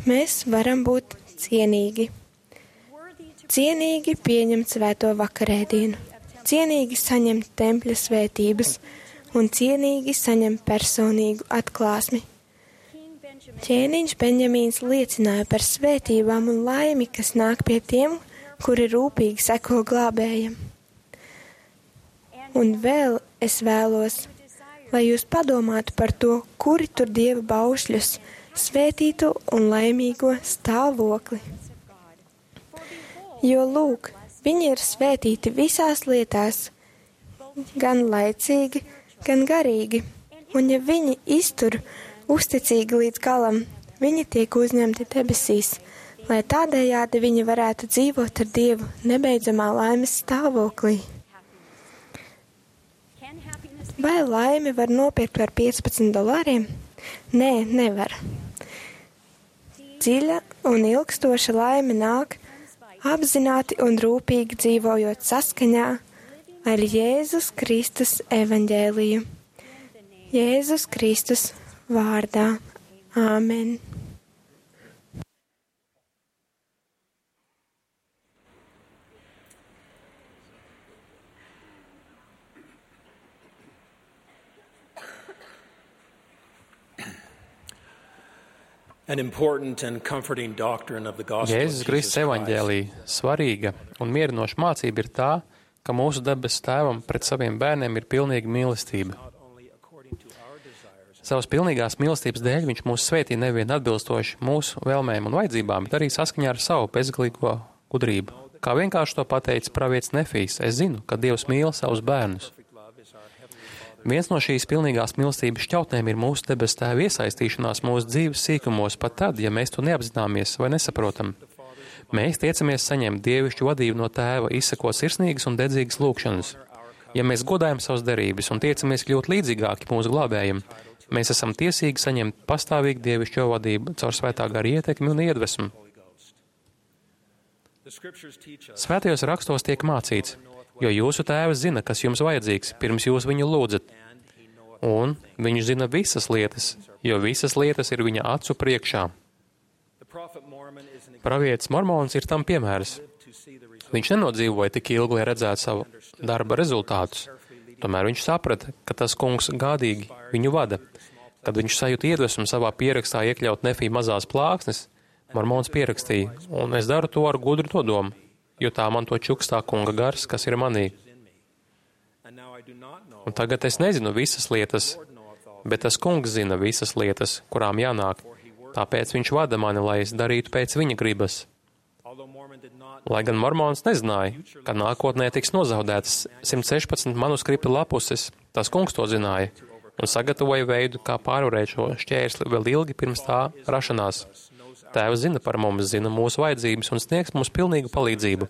mēs varam būt cienīgi. Cienīgi pieņemt svēto vakarēdienu, cienīgi saņemt tempļa svētības un cienīgi saņemt personīgu atklāsmi. Ķēniņš Benjamīns liecināja par svētībām un laimi, kas nāk pie tiem, kuri rūpīgi seko glābējam. Un vēl es vēlos, lai jūs padomātu par to, kuri tur Dieva baušļus, svētīto un laimīgo stāvokli. Jo, lūk, viņi ir svētīti visās lietās, gan laicīgi, gan garīgi, un ja viņi iztur uzticīgi līdz galam, viņi tiek uzņemti debesīs, lai tādējādi viņi varētu dzīvot ar Dievu nebeidzamā laimes stāvoklī. Vai laimi var nopirkt par $15? Nē, nevar. Dziļa un ilgstoša laime nāk apzināti un rūpīgi dzīvojot saskaņā ar Jēzus Kristus evaņģēliju. Jēzus Kristus vārdā. Āmen. Jēzus Kristus evaņģēlija svarīga un mierinoša mācība ir tā, ka mūsu debesu Tēvam pret saviem bērniem ir pilnīga mīlestība. Savas pilnīgās mīlestības dēļ viņš mūs svētī nevien atbilstoši mūsu vēlmēm un vajadzībām, bet arī saskaņā ar savu bezgalīgo gudrību. Kā vienkārši to pateica pravietis Nefijs, es zinu, ka Dievs mīl savus bērnus. Viens no šīs pilnīgās mīlestības šķautnēm ir mūsu debesu Tēva iesaistīšanās mūsu dzīves sīkumos pat tad, ja mēs to neapzināmies vai nesaprotam. Mēs tiecamies saņemt dievišķu vadību no Tēva, izsakot sirsnīgas un dedzīgas lūgšanas. Ja mēs godājam savas derības un tiecamies kļūt līdzīgāki mūsu glābējam, mēs esam tiesīgi saņemt pastāvīgu dievišķo vadību caur svētā gara ietekmi un iedvesmu. Svētajos rakstos tiek mācīts, jo jūsu Tēvs zina, kas jums vajadzīgs, pirms jūs viņu lūdzat. Un viņš zina visas lietas, jo visas lietas ir viņa acu priekšā. Pravietis Mormons ir tam piemērs. Viņš nenodzīvoja tik ilgi, lai redzētu savu darba rezultātus. Tomēr viņš saprata, ka tas kungs gādīgi viņu vada. Kad viņš sajūta iedvesmu savā pierakstā iekļaut Nefī mazās plāksnes, Mormons pierakstīja, un es daru to ar gudru nodomu, jo tā man to čukstā kunga gars, kas ir manī. Un tagad es nezinu visas lietas, bet tas kungs zina visas lietas, kurām jānāk. Tāpēc viņš vada mani, lai es darītu pēc viņa gribas. Lai gan Mormons nezināja, ka nākotnē tiks nozaudētas 116 manuskripta lapuses, tas kungs to zināja un sagatavoja veidu, kā pārvarēt šo šķērsli vēl ilgi pirms tā rašanās. Tēvs zina par mums, zina mūsu vajadzības un sniegs mums pilnīgu palīdzību.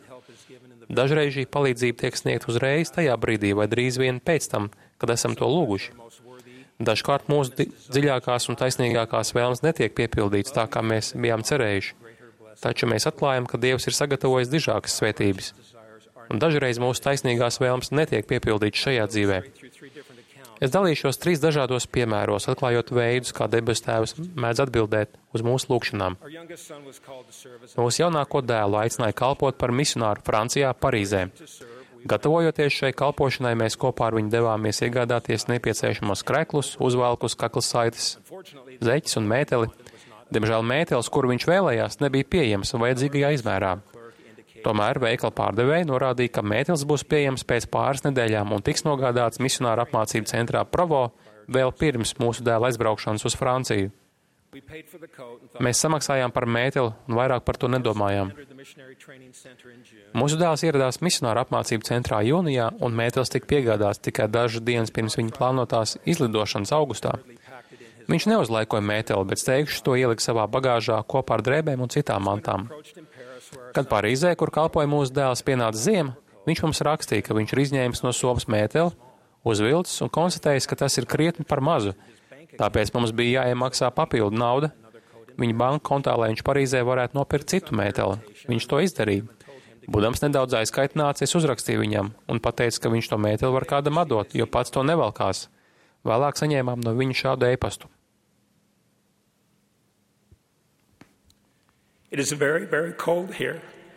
Dažreiz šī palīdzība tiek sniegta uzreiz tajā brīdī vai drīz vien pēc tam, kad esam to lūguši. Dažkārt mūsu dziļākās un taisnīgākās vēlmes netiek piepildītas tā, kā mēs bijām cerējuši. Taču mēs atklājam, ka Dievs ir sagatavojis dižākas svētības. Un dažreiz mūsu taisnīgās vēlmes netiek piepildītas šajā dzīvē. Es dalīšos 3 dažādos piemēros, atklājot veidus, kā debesu Tēvs mēdz atbildēt uz mūsu lūgšanām. Mūsu jaunāko dēlu aicināja kalpot par misionāru Francijā, Parīzē. Gatavojoties šai kalpošanai, mēs kopā ar viņu devāmies iegādāties nepieciešamos kreklus, uzvalkus, kaklasaites, zeķes un mēteli. Diemžēl mētelis, kuru viņš vēlējās, nebija pieejams vajadzīgajā izmērā. Tomēr veikala pārdevēja norādīja, ka mētelis būs pieejams pēc pāris nedēļām un tiks nogādāts misionāru apmācību centrā Provo vēl pirms mūsu dēla aizbraukšanas uz Franciju. Mēs samaksājām par mēteli un vairāk par to nedomājām. Mūsu dēls ieradās misionāru apmācību centrā jūnijā, un mētelis tika piegādāts tikai dažas dienas pirms viņa plānotās izlidošanas augustā. Viņš neuzlaikoja mēteli, bet steigšus to ielika savā bagāžā kopā ar drēbēm un citām mantām. Kad Parīzē, kur kalpoja mūsu dēls, pienāca ziema, viņš mums rakstīja, ka viņš ir izņēmis no somas mēteli, uzvilcis un konstatējis, ka tas ir krietni par mazu. Tāpēc mums bija jāiemaksā papildu nauda viņa banka kontā, lai viņš Parīzē varētu nopirkt citu mēteli. Viņš to izdarīja. Būdams nedaudz aizkaitināts, es uzrakstīju viņam un pateicu, ka viņš to mēteli var kādam atdot, jo pats to nevalkās. Vēlāk saņēmām no viņa šādu e-pastu.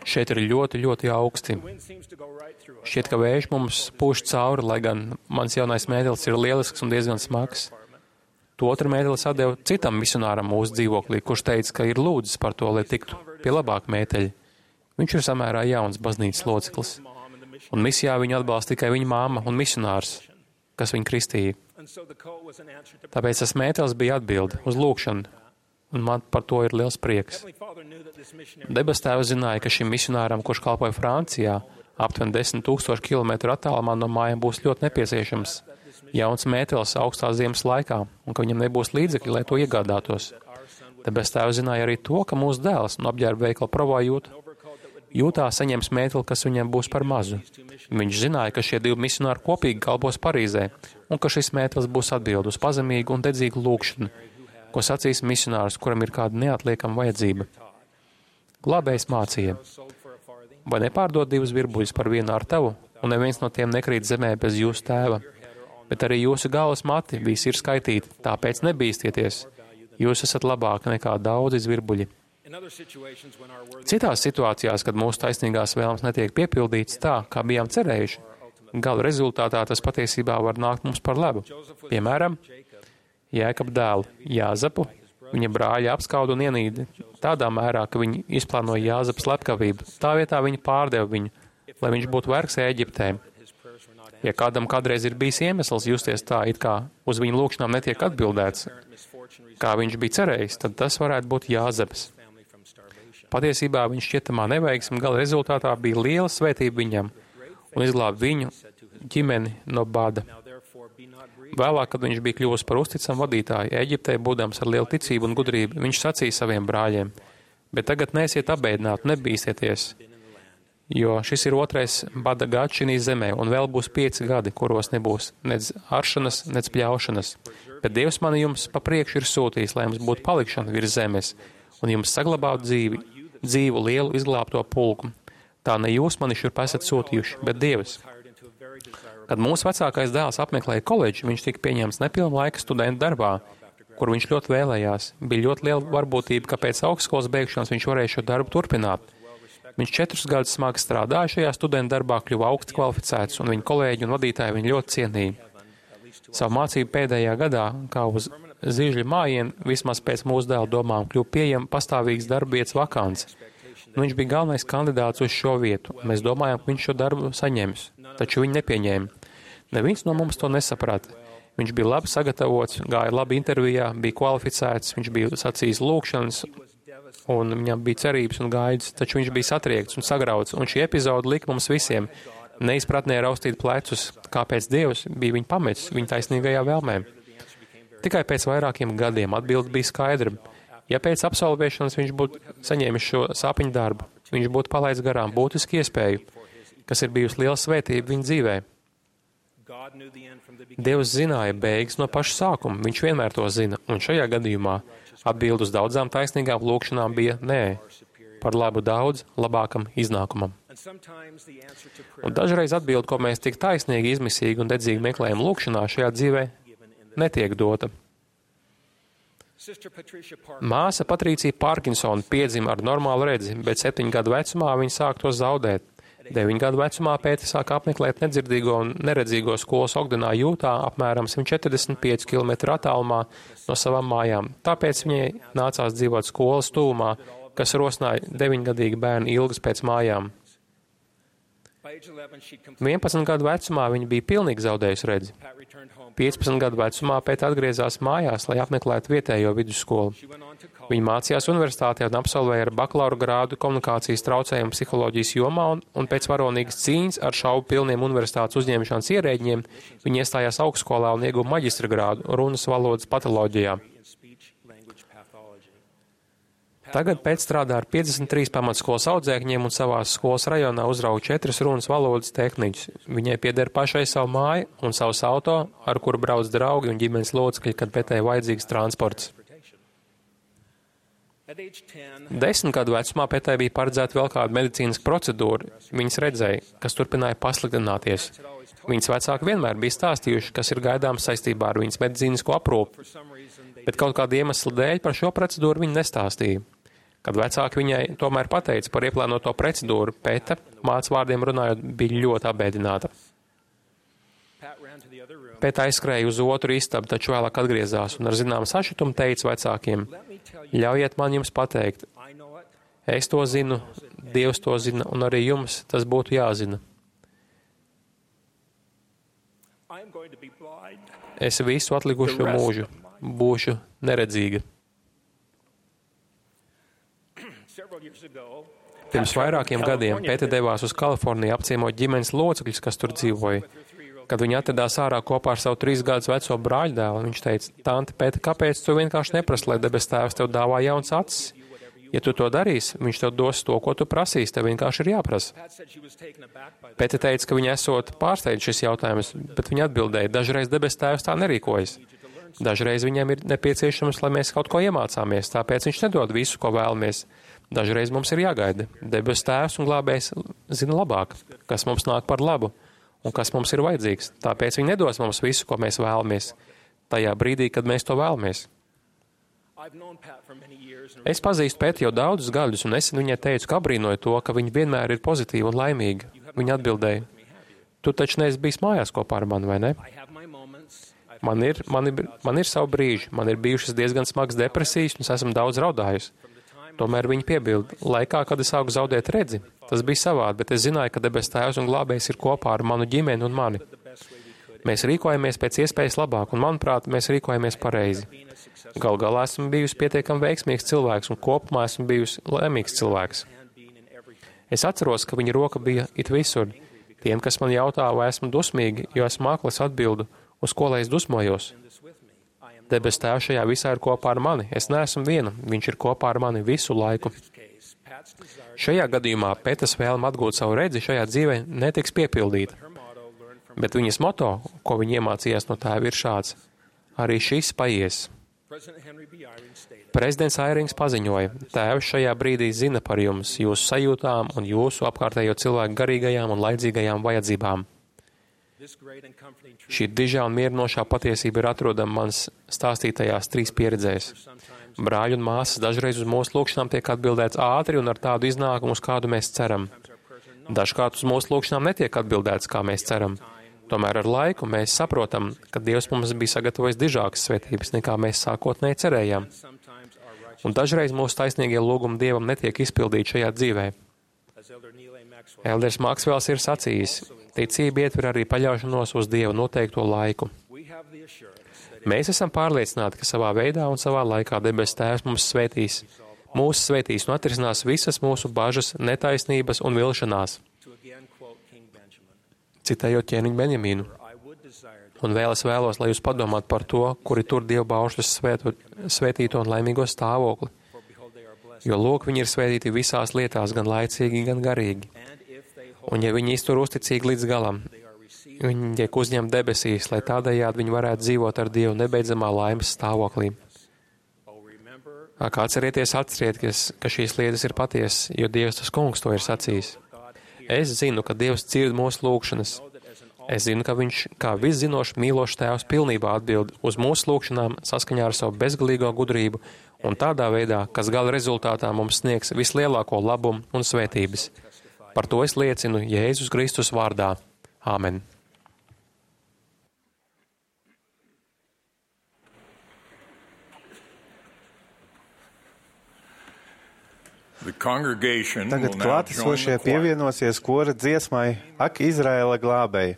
Šeit ir ļoti, ļoti augsti. Šķiet, ka vējš mums pūš cauri, lai gan mans jaunais mētelis ir lielisks un diezgan smags. To otru mētelis atdeva citam misionāram mūsu dzīvoklī, kurš teica, ka ir lūdzis par to, lai tiktu pie labāka mēteļa. Viņš ir samērā jauns baznīcas loceklis. Un misijā viņu atbalsta tikai viņa māma un misionārs, kas viņu kristīja. Tāpēc tas mētelis bija atbilde uz lūgšanu, un man par to ir liels prieks. Debes Tēvs zināja, ka šim misionāram, kurš kalpoja Francijā, aptuveni 10,000 kilometru attālumā no mājām būs ļoti nepieciešams jauns mētelis augstā ziemas laikā, un ka viņam nebūs līdzekļi, lai to iegādātos. Debes Tēvs zināja arī to, ka mūsu dēls no apģērba veikala Provo jūtā saņems mēteli, kas viņam būs par mazu. Viņš zināja, ka šie 2 misionāri kopīgi kalpos Parīzē, un ka šis mētelis būs atbild uz pazemīgu un dedzīgu lūgšanu, ko sacīs misionārs, kuram ir kāda neatliekama vajadzība. Glābējs mācīja: vai nepārdod 2 virbuļus par vienu ar tavu, un neviens no tiem nekrīt zemē bez jūsu tēva. Bet arī jūsu galvas mati visi ir skaitīti, tāpēc nebīsties. Jūs esat labāki nekā daudzi virbuļi. Citās situācijās, kad mūsu taisnīgās vēlmes netiek piepildītas tā, kā bijām cerējuši, gala rezultātā tas patiesībā var nākt mums par labu. Piemēram, Jēkaba dēlu Jāzepu viņa brāļi apskauda un ienīda tādā mērā, ka viņi izplānoja Jāzepa slepkavību. Tā vietā viņi pārdeva viņu, lai viņš būtu vergs Ēģiptē. Ja kādam kādreiz ir bijis iemesls justies tā, it kā uz viņa lūgšanām netiek atbildēts, kā viņš bija cerējis, tad tas varētu būt Jāzeps. Patiesībā viņš šķietamā neveiksme gala rezultātā bija liela svētība viņam un izglāba viņu ģimeni no bada. Vēlāk, kad viņš bija kļuvis par uzticamu vadītāju Ēģiptē, būdams ar lielu ticību un gudrību, viņš sacīja saviem brāļiem: bet tagad neesiet abēdināti, nebīsieties, jo šis ir 2. bada gads šī zemē, un vēl būs 5 gadi, kuros nebūs nec aršanas, nec pļaušanas. Bet Dievs mani jums pa priekšu ir sūtījis, lai jums būtu palikšana virs zemes, un jums saglabātu dzīvu lielu izglābto pulku. Tā ne jūs mani šurp esat sūtījuši, bet Dievs. Kad mūsu vecākais dēls apmeklēja koledžu, viņš tika pieņemts nepilna laika studenta darbā, kur viņš ļoti vēlējās. Bija ļoti liela varbūtība, ka pēc augstskolas beigšanas viņš varēja šo darbu turpināt. Viņš 4 gadus smagi strādāja šajā studenta darbā, kļuva augsti kvalificēts, un viņa kolēģi un vadītāji viņu ļoti cienīja. Savu mācību pēdējā gadā, kā uz zīžļa mājienu, vismaz pēc mūsu dēla domām, kļuva pieejama pastāvīgas darba vietas vakance. Viņš bija galvenais kandidāts uz šo vietu, un mēs domājām, ka viņš šo darbu saņems, taču viņu nepieņēma. Neviens no mums to nesaprata. Viņš bija labi sagatavots, gāja labi intervijā, bija kvalificēts, viņš bija sacījis lūgšanas, un viņam bija cerības un gaidas, taču viņš bija satriekts un sagrauts, un šī epizode lika mums visiem neizpratnē raustīt plecus, kāpēc Dievs bija viņu pametis viņa taisnīgajā vēlmē. Tikai pēc vairākiem gadiem atbilde bija skaidra. Ja pēc absolvēšanas viņš būtu saņēmis šo sāpiņu darbu, viņš būtu palaids garām būtisku iespēju, kas ir bijusi liela svētība viņa dzīvē. Dievs zināja beigas no paša sākuma, viņš vienmēr to zina, un šajā gadījumā atbilde uz daudzām taisnīgām lūgšanām bija nē, par labu daudz labākam iznākumam. Un dažreiz atbild, ko mēs tik taisnīgi, izmisīgi un dedzīgi meklējam lūkšanā, šajā dzīvē netiek dota. Māsa Patricija Parkinsona piedzima ar normālu redzi, bet 7 gadu vecumā viņa sāk to zaudēt. 9 gadu vecumā Pēte sāk apmeklēt nedzirdīgo un neredzīgo skolas Ogdenā, Jūtā, apmēram 145 km attālumā no savām mājām. Tāpēc viņai nācās dzīvot skolas tuvumā, kas rosināja 9-gadīgu bērnu ilgas pēc mājām. 11 gadu vecumā viņa bija pilnīgi zaudējusi redzi. 15 gadu vecumā Pēte atgriezās mājās, lai apmeklētu vietējo vidusskolu. Viņa mācījās universitātē un absolvēja ar bakalaura grādu komunikācijas traucējumu psiholoģijas jomā, un pēc varonīgas cīņas ar šaubu pilniem universitātes uzņemšanas ierēģiem viņa iestājās augstskolā un ieguva maģistra grādu runas valodas patoloģijā. Tagad Pēte strādā ar 53 pamatskolas audzēkņiem un savās skolas rajonā uzrauga 4 runas valodas tehniķus. Viņai pieder pašai savu māju un savus auto, ar kuru brauc draugi un ģimenes locekļi, kad Pētei vajadzīgs transports. 10 gadu vecumā Pētei bija paredzēta vēl kāda medicīnas procedūra. Viņas redzēja, kas turpināja pasliktināties. Viņas vecāki vienmēr bija stāstījuši, kas ir gaidāms saistībā ar viņas medicīnisko aprūpi, bet kaut kāda iemesla dēļ par šo procedūru viņa nestāstīja. Kad vecāki viņai tomēr pateica par ieplānoto procedūru, Pēte, mātes vārdiem runājot, bija ļoti apbēdināta. Pēte aizskrēja uz otru istabu, taču vēlāk atgriezās un ar zināmu sašutumu teica vecākiem: ļaujiet man jums pateikt, es to zinu, Dievs to zina, un arī jums tas būtu jāzina. Es visu atlikušo mūžu būšu neredzīga. Pirms vairākiem gadiem Pēte devās uz Kaliforniju apciemot ģimenes locekļus, kas tur dzīvoja. Kad viņa atradās ārā kopā ar savu 3 gadus veco brāļdēlu, viņš teica: Tante Pēte, kāpēc tu vienkārši neprasi, lai debes tēvs tev dāvā jauns acis? Ja tu to darīsi, viņš tev dos to, ko tu prasīsi, tev vienkārši ir jāprasa. Pēte teica, ka viņa esot pārsteidz šis jautājums, bet viņa atbildēja: dažreiz debes tēvs tā nerīkojas. Dažreiz viņam ir nepieciešams, lai mēs kaut ko iemācāmies, tāpēc viņš nedod visu, ko vēlamies. Dažreiz mums ir jāgaida. Debes tēvs un glābējs zina labāk, kas mums nāk par labu un kas mums ir vajadzīgs. Tāpēc viņi nedos mums visu, ko mēs vēlamies, tajā brīdī, kad mēs to vēlamies. Es pazīstu Pēti jau daudzus gadus, un nesen viņai teicu, ka abrīnoju to, ka viņa vienmēr ir pozitīva un laimīga. Viņa atbildēja: tu taču neesi bijis mājās kopā ar mani, vai ne? Man ir savu brīži, man ir bijušas diezgan smagas depresijas, un es esmu daudz raudājusi. Tomēr viņa piebilda: laikā, kad es sāku zaudēt redzi, tas bija savādi, bet es zināju, ka debes tēvs un glābējs ir kopā ar manu ģimeni un mani. Mēs rīkojamies pēc iespējas labāk, un, manuprāt, mēs rīkojamies pareizi. Gal galā esmu bijusi pietiekami veiksmīgs cilvēks, un kopumā esmu bijusi laimīgs cilvēks. Es atceros, ka viņa roka bija it visur. Tiem, kas man jautā, vai esmu dusmīgi, jo esmu aklis, atbildu, uz ko lai es dusmojos. Debes tēvs šajā visā ir kopā ar mani. Es neesmu viena, viņš ir kopā ar mani visu laiku. Šajā gadījumā Pētes vēlme atgūt savu redzi šajā dzīvē netiks piepildīta. Bet viņas moto, ko viņa iemācījās no tēva, ir šāds: arī šis paies. Prezidents Airings paziņoja: tēvs šajā brīdī zina par jums, jūsu sajūtām un jūsu apkārtējo cilvēku garīgajām un laidzīgajām vajadzībām. Šī dižā un mierinošā patiesība ir atrodama manas stāstītajās 3 pieredzēs. Brāļi un māsas dažreiz uz mūsu lūkšanām tiek atbildēts ātri un ar tādu iznākumu, uz kādu mēs ceram. Dažkārt uz mūsu lūkšanām netiek atbildēts, kā mēs ceram. Tomēr ar laiku mēs saprotam, ka Dievs mums bija sagatavojis dižākas svētības, nekā mēs sākotnēji cerējām. Un dažreiz mūsu taisnīgie lūgumi Dievam netiek izpildīti šajā dzīvē. Elders Maksvels ir sacījis: ticība ietver arī paļaušanos uz Dieva noteikto laiku. Mēs esam pārliecināti, ka savā veidā un savā laikā debes tēvs mums svētīs. Mūsu svētīs un atrisinās visas mūsu bažas, netaisnības un vilšanās. Citējot ķēniņu Benjamīnu. Un vēl es vēlos, lai jūs padomātu par to, kuri tur Dieva baušļus svētīto un laimīgo stāvokli. Jo lūk, viņi ir svētīti visās lietās, gan laicīgi, gan garīgi. Un ja viņi iztur uzticīgi līdz galam, viņi tiek uzņemti debesīs, lai tādējādi viņi varētu dzīvot ar Dievu nebeidzamā laimes stāvoklī. Kā atcerieties, ka šīs lietas ir patiesas, jo Dievs tas kungs to ir sacījis. Es zinu, ka Dievs dzird mūsu lūgšanas. Es zinu, ka Viņš, kā viszinošs, mīlošs Tēvs, pilnībā atbild uz mūsu lūgšanām saskaņā ar savu bezgalīgo gudrību un tādā veidā, kas gala rezultātā mums sniegs vislielāko labumu un svētības. Par to es liecinu Jēzus Kristus vārdā. Āmen. Tagad klātesošie pievienosies kora dziesmai Ak, Izraēla glābēji.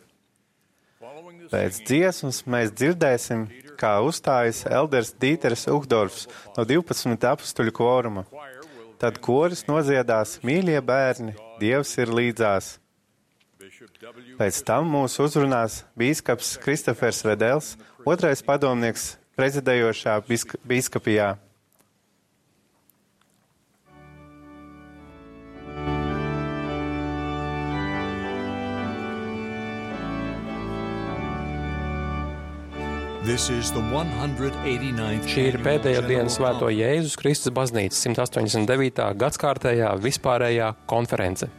Pēc dziesmas mēs dzirdēsim, kā uzstājas elders Dīters Uhdorfs no 12 apustuļu kvoruma. Tad koris nodziedās Mīļie bērni, Dievs ir līdzās. Pēc tam mūs uzrunās bīskaps Kristofers Vedels, otrais padomnieks prezidējošā bīskapijā. Šī ir pēdējā diena Svēto Jēzus Kristus baznīcas 189. gadskārtējā vispārējā konference.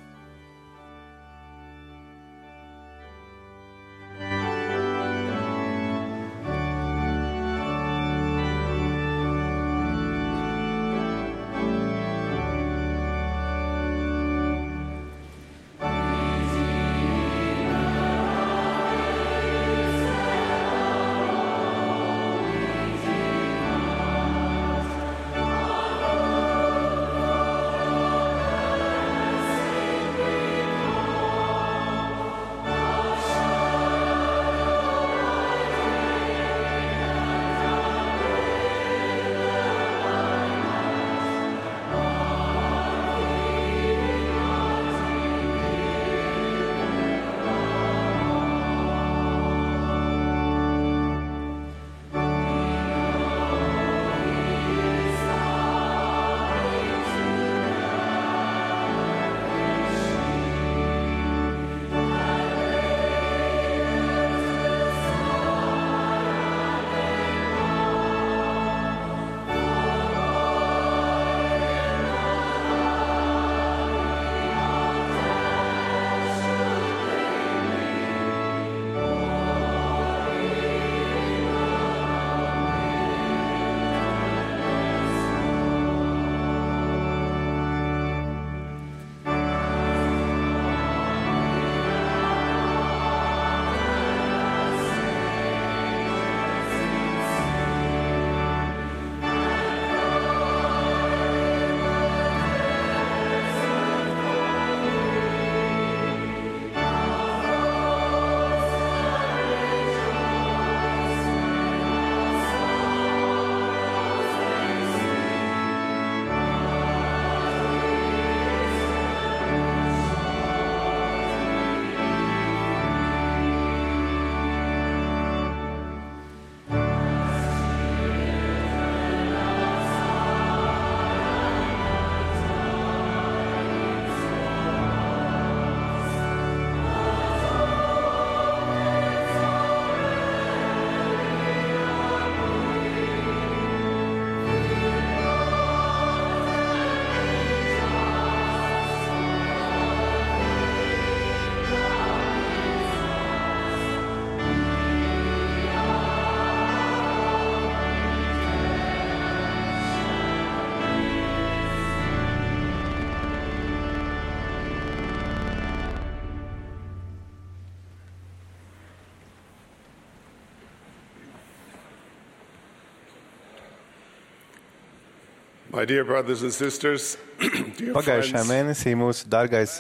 Pagājušajā mēnesī mūsu dārgais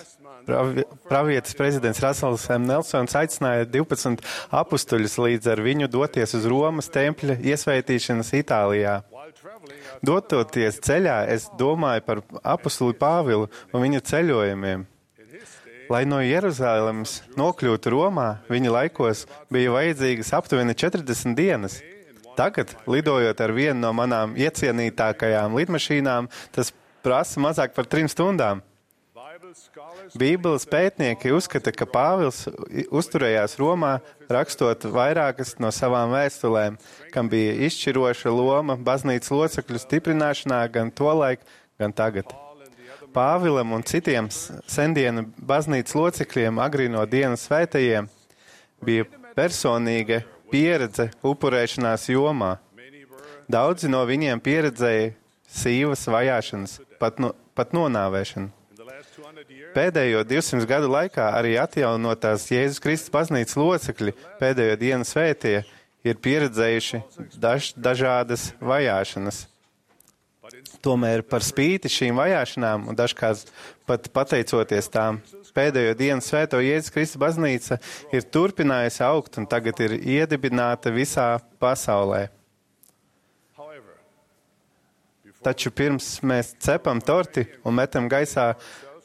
pravietis prezidents Rasels M. Nelsons aicināja 12 apustuļus līdz ar viņu doties uz Romas tempļa iesvētīšanas Itālijā. Dototies ceļā, es domāju par apustuli Pāvilu un viņa ceļojumiem. Lai no Jeruzalemes nokļūtu Romā, viņa laikos bija vajadzīgas aptuveni 40 dienas. Tagad, lidojot ar vienu no manām iecienītākajām lidmašīnām, tas prasa mazāk par 3 stundām. Bībeles pētnieki uzskata, ka Pāvils uzturējās Romā, rakstot vairākas no savām vēstulēm, kam bija izšķiroša loma baznīcas locekļu stiprināšanā gan tolaik, gan tagad. Pāvilam un citiem sendienu baznīcas locekļiem agrīno dienu svētajiem bija personīga pieredze upurēšanās jomā. Daudzi no viņiem pieredzēja sīvas vajāšanas, pat nonāvēšanu. Pēdējo 200 gadu laikā arī atjaunotās Jēzus Kristus baznīcas locekļi pēdējo dienu svētie ir pieredzējuši dažādas vajāšanas. Tomēr par spīti šīm vajāšanām un dažkārt pat pateicoties tām, pēdējo dienu svēto Jēzus Kristus baznīca ir turpinājusi augt un tagad ir iedibināta visā pasaulē. Taču pirms mēs cepam torti un metam gaisā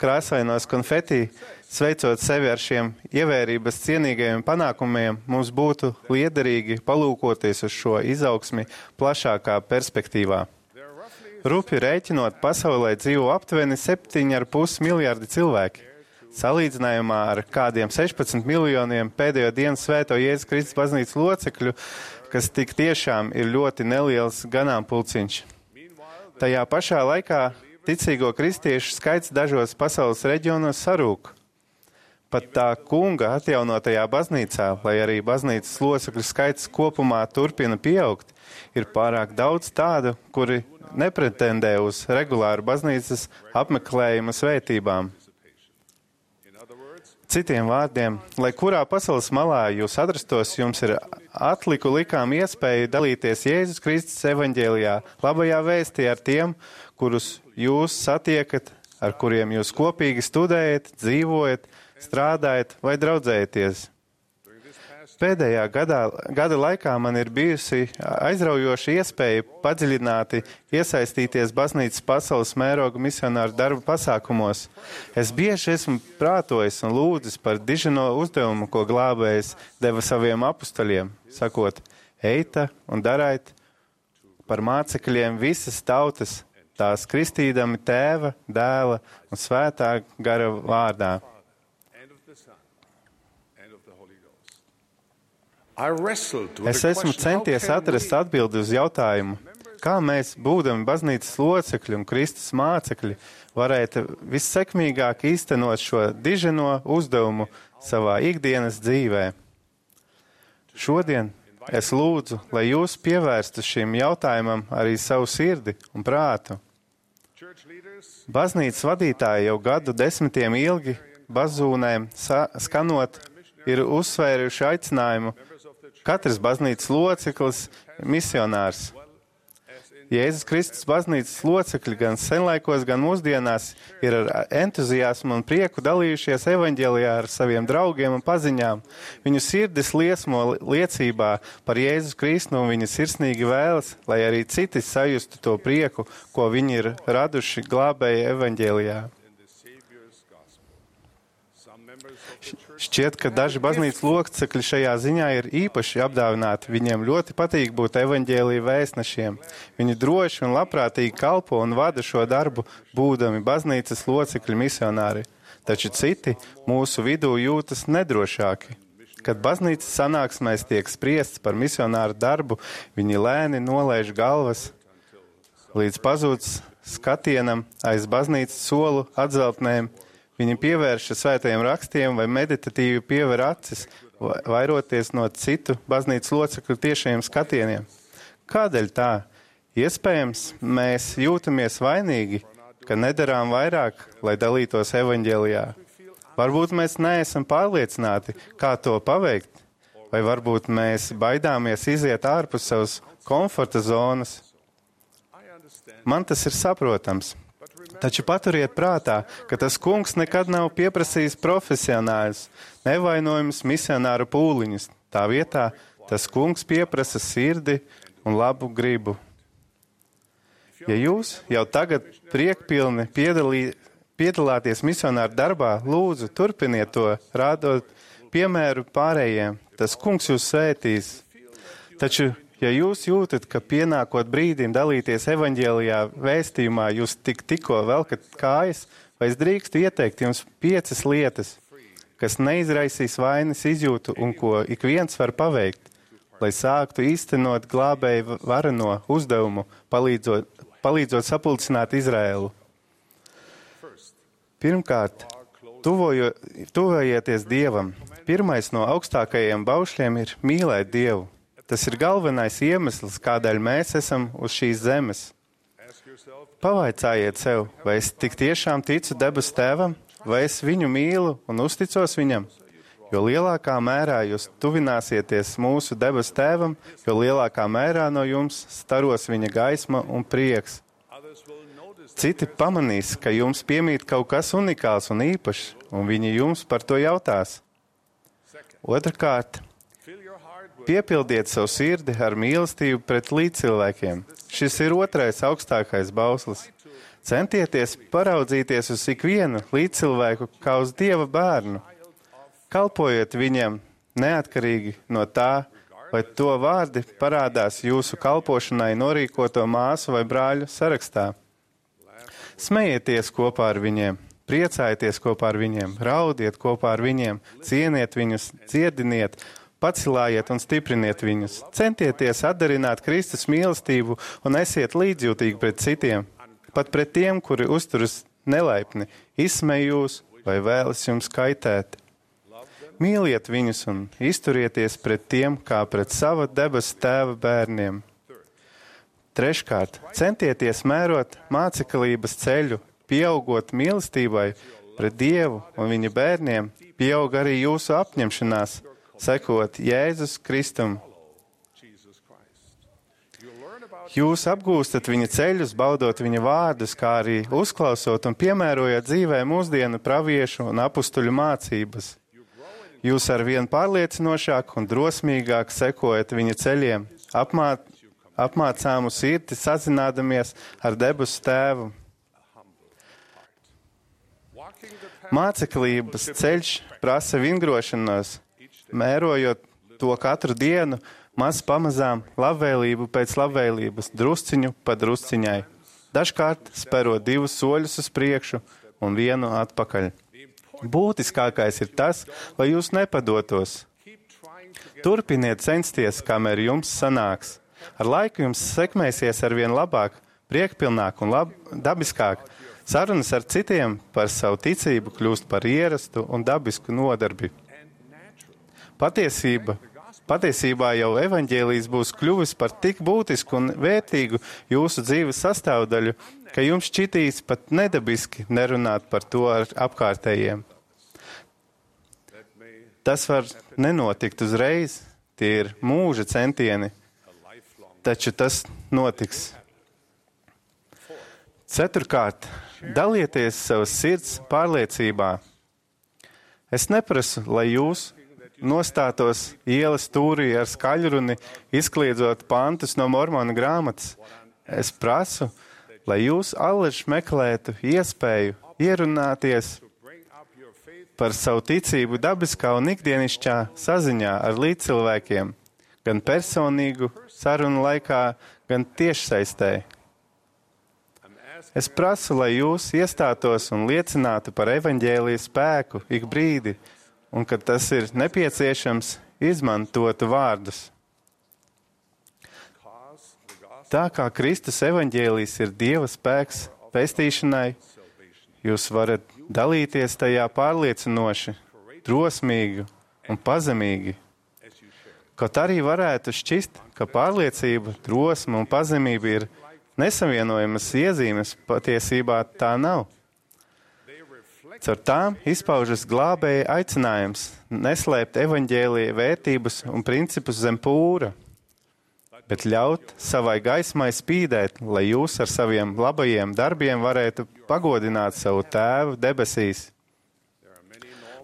krāsainos konfeti, sveicot sevi ar šiem ievērības cienīgajiem panākumiem, mums būtu liederīgi palūkoties uz šo izaugsmi plašākā perspektīvā. Rupi rēķinot, pasaulē dzīvo aptuveni 7,5 miljardi cilvēki. Salīdzinājumā ar kādiem 16 miljoniem pēdējo dienu svēto Jēzus Kristus baznīcas locekļu, kas tik tiešām ir ļoti neliels ganāmpulciņš. Tajā pašā laikā ticīgo kristiešu skaits dažos pasaules reģionos sarūk. Pat tā kunga atjaunotajā baznīcā, lai arī baznīcas locekļu skaits kopumā turpina pieaugt, ir pārāk daudz tādu, kuri nepretendē uz regulāru baznīcas apmeklējumu svētībām. Citiem vārdiem, lai kurā pasaules malā jūs atrastos, jums ir atliku likām iespēja dalīties Jēzus Kristus evaņģēlijā, labajā vēstī ar tiem, kurus jūs satiekat, ar kuriem jūs kopīgi studējat, dzīvojat, strādājat vai draudzējaties. Pēdējā gada laikā man ir bijusi aizraujoša iespēja padziļināti iesaistīties baznīcas pasaules mēroga misionāru darba pasākumos. Es bieži esmu prātojis un lūdzis par dižino uzdevumu, ko glābējs deva saviem apustaļiem, sakot, eita un darait par mācekļiem visas tautas, tās kristīdami Tēva, Dēla un Svētā gara vārdā. Es esmu centies atrast atbildi uz jautājumu, kā mēs, būdami baznīcas locekļi un Kristus mācekļi, varētu vissekmīgāk īstenot šo diženo uzdevumu savā ikdienas dzīvē. Šodien es lūdzu, lai jūs pievērstu šim jautājumam arī savu sirdi un prātu. Baznīcas vadītāji jau gadu desmitiem ilgi bazūnēm skanot ir uzsvēruši aicinājumu katrs baznīcas loceklis misionārs. Jēzus Kristus baznīcas locekļi gan senlaikos, gan mūsdienās ir ar entuziasmu un prieku dalījušies evaņģēlijā ar saviem draugiem un paziņām. Viņu sirdis liesmo liecībā par Jēzus Kristu un viņa sirsnīgi vēlas, lai arī citi sajustu to prieku, ko viņi ir raduši glābēja evaņģēlijā. Šķiet, ka daži baznīcas locekļi šajā ziņā ir īpaši apdāvināti. Viņiem ļoti patīk būt evaņģēlija vēstnešiem. Viņi droši un labprātīgi kalpo un vada šo darbu, būdami baznīcas locekļi misionāri. Taču citi mūsu vidū jūtas nedrošāki. Kad baznīcas sanāksmēs tiek spriests par misionāru darbu, viņi lēni nolaiž galvas, līdz pazūd skatienam aiz baznīcas solu atzeltnēm. Viņi pievēršas svētajiem rakstiem vai meditatīvi piever acis, vairoties no citu baznīcas locekļu tiešajiem skatieniem. Kādēļ tā? Iespējams, mēs jūtamies vainīgi, ka nedarām vairāk, lai dalītos evaņģēlijā. Varbūt mēs neesam pārliecināti, kā to paveikt, vai varbūt mēs baidāmies iziet ārpus savas komforta zonas. Man tas ir saprotams. Taču paturiet prātā, ka tas kungs nekad nav pieprasījis profesionāļus, nevainojumus misionāru pūliņus. Tā vietā tas kungs pieprasa sirdi un labu gribu. Ja jūs jau tagad priekpilni piedalāties misionāru darbā, lūdzu, turpiniet to, rādot piemēru pārējiem. Tas kungs jūs svētīs. Taču ja jūs jūtat, ka pienākot brīdim dalīties evaņģēlijā vēstījumā, jūs tikko velkat kājas, vai es drīkstu ieteikt jums 5 lietas, kas neizraisīs vainas izjūtu un ko ik viens var paveikt, lai sāktu īstenot glābēju vareno uzdevumu, palīdzot sapulcināt Izraēlu. Pirmkārt, tuvojieties Dievam. Pirmais no augstākajiem baušļiem ir mīlēt Dievu. Tas ir galvenais iemesls, kādēļ mēs esam uz šīs zemes. Pavaicājiet sev, vai es tik tiešām ticu debesu Tēvam, vai es viņu mīlu un uzticos viņam? Jo lielākā mērā jūs tuvināsieties mūsu debesu Tēvam, jo lielākā mērā no jums staros viņa gaisma un prieks. Citi pamanīs, ka jums piemīt kaut kas unikāls un īpašs, un viņi jums par to jautās. Otrkārt, piepildiet savu sirdi ar mīlestību pret līdzcilvēkiem. Šis ir otrais augstākais bauslis. Centieties paraudzīties uz ikvienu līdzcilvēku kā uz Dieva bērnu. Kalpojiet viņam neatkarīgi no tā, vai to vārdi parādās jūsu kalpošanai norīkoto māsu vai brāļu sarakstā. Smējieties kopā ar viņiem, priecājieties kopā ar viņiem, raudiet kopā ar viņiem, cieniet viņus, dziediniet, pacilājiet un stipriniet viņus. Centieties atdarināt Kristus mīlestību un esiet līdzjūtīgi pret citiem, pat pret tiem, kuri uzturas nelaipni, izsmej jūs vai vēlas jums kaitēt. Mīliet viņus un izturieties pret tiem, kā pret sava debesu Tēva bērniem. Treškārt, centieties mērot māceklības ceļu, pieaugot mīlestībai pret Dievu un viņa bērniem, pieaug arī jūsu apņemšanās, sekot Jēzus Kristum. Jūs apgūstat viņa ceļus, baudot viņa vārdus, kā arī uzklausot un piemērojot dzīvē mūsdienu praviešu un apustuļu mācības. Jūs arvien pārliecinošāk un drosmīgāk sekojat viņa ceļiem, apmācāmu sirdi sazinādamies ar debesu Tēvu. Māceklības ceļš prasa vingrošanos, mērojot to katru dienu, maz pamazām, labvēlību pēc labvēlības, drusciņu pa drusciņai. Dažkārt sperot 2 soļus uz priekšu un 1 atpakaļ. Būtiskākais ir tas, lai jūs nepadotos. Turpiniet censties, kamēr jums sanāks. Ar laiku jums sekmēsies arvien labāk, priekpilnāk un dabiskāk. Sarunas ar citiem par savu ticību kļūst par ierastu un dabisku nodarbi. Patiesībā jau evaņģēlijs būs kļuvis par tik būtisku un vērtīgu jūsu dzīves sastāvdaļu, ka jums šķitīs pat nedabiski nerunāt par to ar apkārtējiem. Tas var nenotikt uzreiz, tie ir mūža centieni, taču tas notiks. Ceturkārt, dalieties savas sirds pārliecībā. Es neprasu, lai jūs nostātos ielas stūrī ar skaļruni, izkliedzot pantus no Mormona grāmatas. Es prasu, lai jūs allaž meklētu iespēju ierunāties par savu ticību dabiskā un ikdienišķā saziņā ar līdzcilvēkiem, gan personīgu sarunu laikā, gan tiešsaistē. Es prasu, lai jūs iestātos un liecinātu par evaņģēlijas spēku ik brīdi, un, kad tas ir nepieciešams, izmantotu vārdus. Tā kā Kristus evaņģēlijs ir Dieva spēks pestīšanai, jūs varat dalīties tajā pārliecinoši, drosmīgi un pazemīgi. Kaut arī varētu šķist, ka pārliecība, drosme un pazemība ir nesavienojamas iezīmes, patiesībā tā nav. Caur tām izpaužas glābēja aicinājums neslēpt evaņģēlija vērtības un principus zem pūra, bet ļaut savai gaismai spīdēt, lai jūs ar saviem labajiem darbiem varētu pagodināt savu Tēvu debesīs.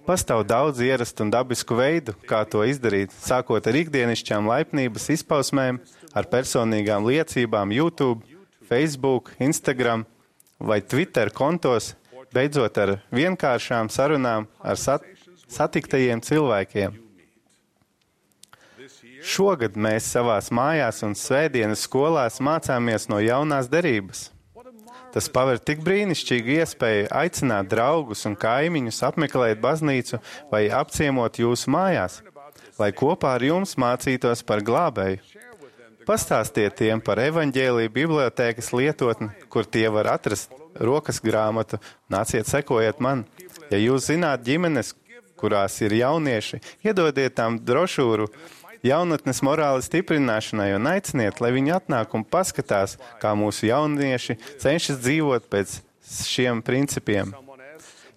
Pastāv daudz ierastu un dabisku veidu, kā to izdarīt, sākot ar ikdienišķām laipnības izpausmēm, ar personīgām liecībām YouTube, Facebook, Instagram vai Twitter kontos, beidzot ar vienkāršām sarunām ar satiktajiem cilvēkiem. Šogad mēs savās mājās un svētdienas skolās mācāmies no jaunās derības. Tas paver tik brīnišķīgu iespēju aicināt draugus un kaimiņus apmeklēt baznīcu vai apciemot jūsu mājās, lai kopā ar jums mācītos par glābēju. Pastāstiet tiem par evaņģēliju bibliotēkas lietotni, kur tie var atrast rokas grāmatu, nāciet, sekojiet man. Ja jūs zināt ģimenes, kurās ir jaunieši, iedodiet tām brošūru jaunatnes morāles stiprināšanai un aiciniet, lai viņi atnāk un paskatās, kā mūsu jaunieši cenšas dzīvot pēc šiem principiem.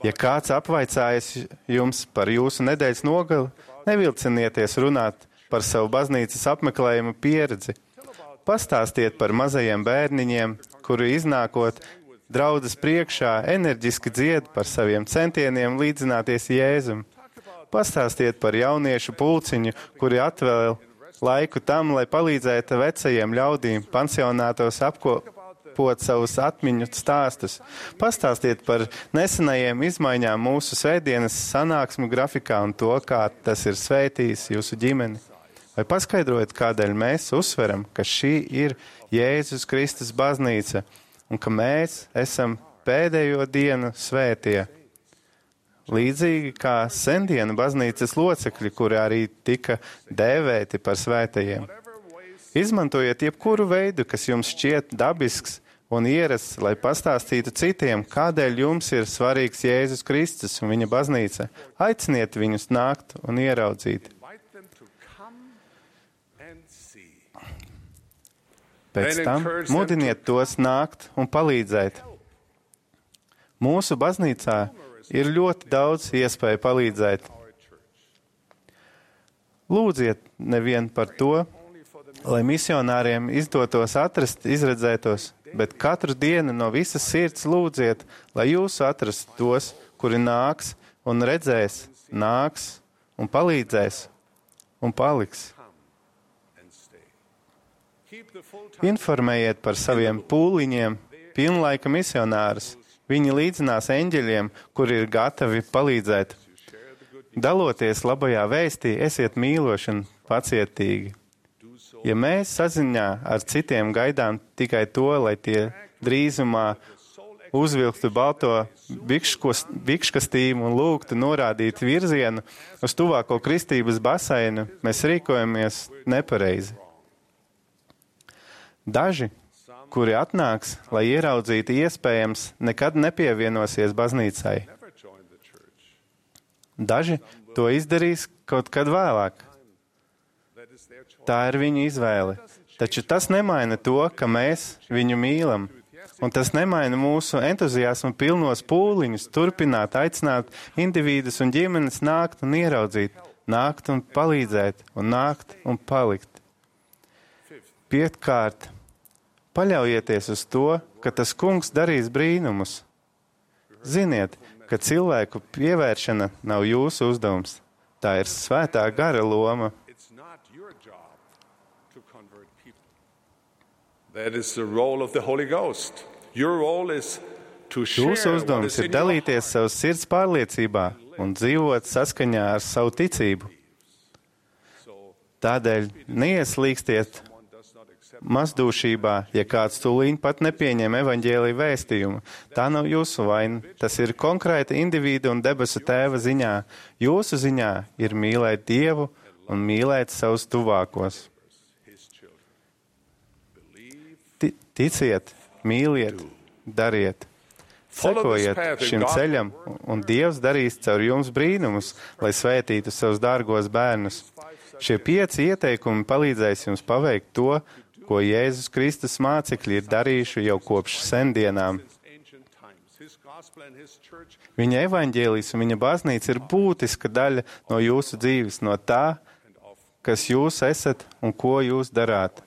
Ja kāds apvaicājas jums par jūsu nedēļas nogali, nevilcinieties runāt par savu baznīcas apmeklējumu pieredzi. Pastāstiet par mazajiem bērniņiem, kuri iznākot draudzes priekšā enerģiski dzied par saviem centieniem līdzināties Jēzum. Pastāstiet par jauniešu pulciņu, kuri atvēl laiku tam, lai palīdzētu vecajiem ļaudīm pansionātos apkopot savus atmiņu stāstus. Pastāstiet par nesenajiem izmaiņām mūsu svētdienas sanāksmu grafikā un to, kā tas ir svētījis jūsu ģimeni. Vai paskaidrojiet, kādēļ mēs uzsveram, ka šī ir Jēzus Kristus baznīca un ka mēs esam pēdējo dienu svētie. Līdzīgi kā sendienu baznīcas locekļi, kuri arī tika dēvēti par svētajiem. Izmantojiet jebkuru veidu, kas jums šķiet dabisks un ierasts, lai pastāstītu citiem, kādēļ jums ir svarīgs Jēzus Kristus un viņa baznīca. Aiciniet viņus nākt un ieraudzīt. Pēc tam mudiniet tos nākt un palīdzēt. Mūsu baznīcā ir ļoti daudz iespēju palīdzēt. Lūdziet nevien par to, lai misionāriem izdotos atrast izredzētos, bet katru dienu no visas sirds lūdziet, lai jūs atrastu tos, kuri nāks un redzēs, nāks un palīdzēs un paliks. Informējiet par saviem pūliņiem pilnlaika misionārus. Viņi līdzinās eņģeļiem, kuri ir gatavi palīdzēt. Daloties labajā vēstī, esiet mīloši un pacietīgi. Ja mēs saziņā ar citiem gaidām tikai to, lai tie drīzumā uzvilktu balto bikškastīmu un lūgtu norādīt virzienu uz tuvāko kristības baseinu, mēs rīkojamies nepareizi. Daži, kuri atnāks, lai ieraudzītu iespējams, nekad nepievienosies baznīcai. Daži to izdarīs kaut kad vēlāk. Tā ir viņu izvēle. Taču tas nemaina to, ka mēs viņu mīlam. Un tas nemaina mūsu entuziasmu pilnos pūliņus turpināt, aicināt individus un ģimenes nākt un ieraudzīt, nākt un palīdzēt un nākt un palikt. Piektkārt, paļaujieties uz to, ka tas kungs darīs brīnumus. Ziniet, ka cilvēku pievēršana nav jūsu uzdevums. Tā ir svētā gara loma. Jūsu uzdevums ir dalīties savas sirds pārliecībā un dzīvot saskaņā ar savu ticību. Tādēļ neieslīgstiet mazdūšībā, ja kāds tūlīt pat nepieņem evaņģēlija vēstījumu. Tā nav jūsu vaina. Tas ir konkrēta individu un debesu tēva ziņā. Jūsu ziņā ir mīlēt Dievu un mīlēt savus tuvākos. Ticiet, mīliet, dariet. Sekojiet šim ceļam, un Dievs darīs caur jums brīnumus, lai svētītu savus dārgos bērnus. Šie 5 ieteikumi palīdzēs jums paveikt to, ko Jēzus Kristus mācekļi ir darījuši jau kopš sendienām. Viņa evaņģēlijs un viņa baznīca ir būtiska daļa no jūsu dzīves, no tā, kas jūs esat un ko jūs darāt.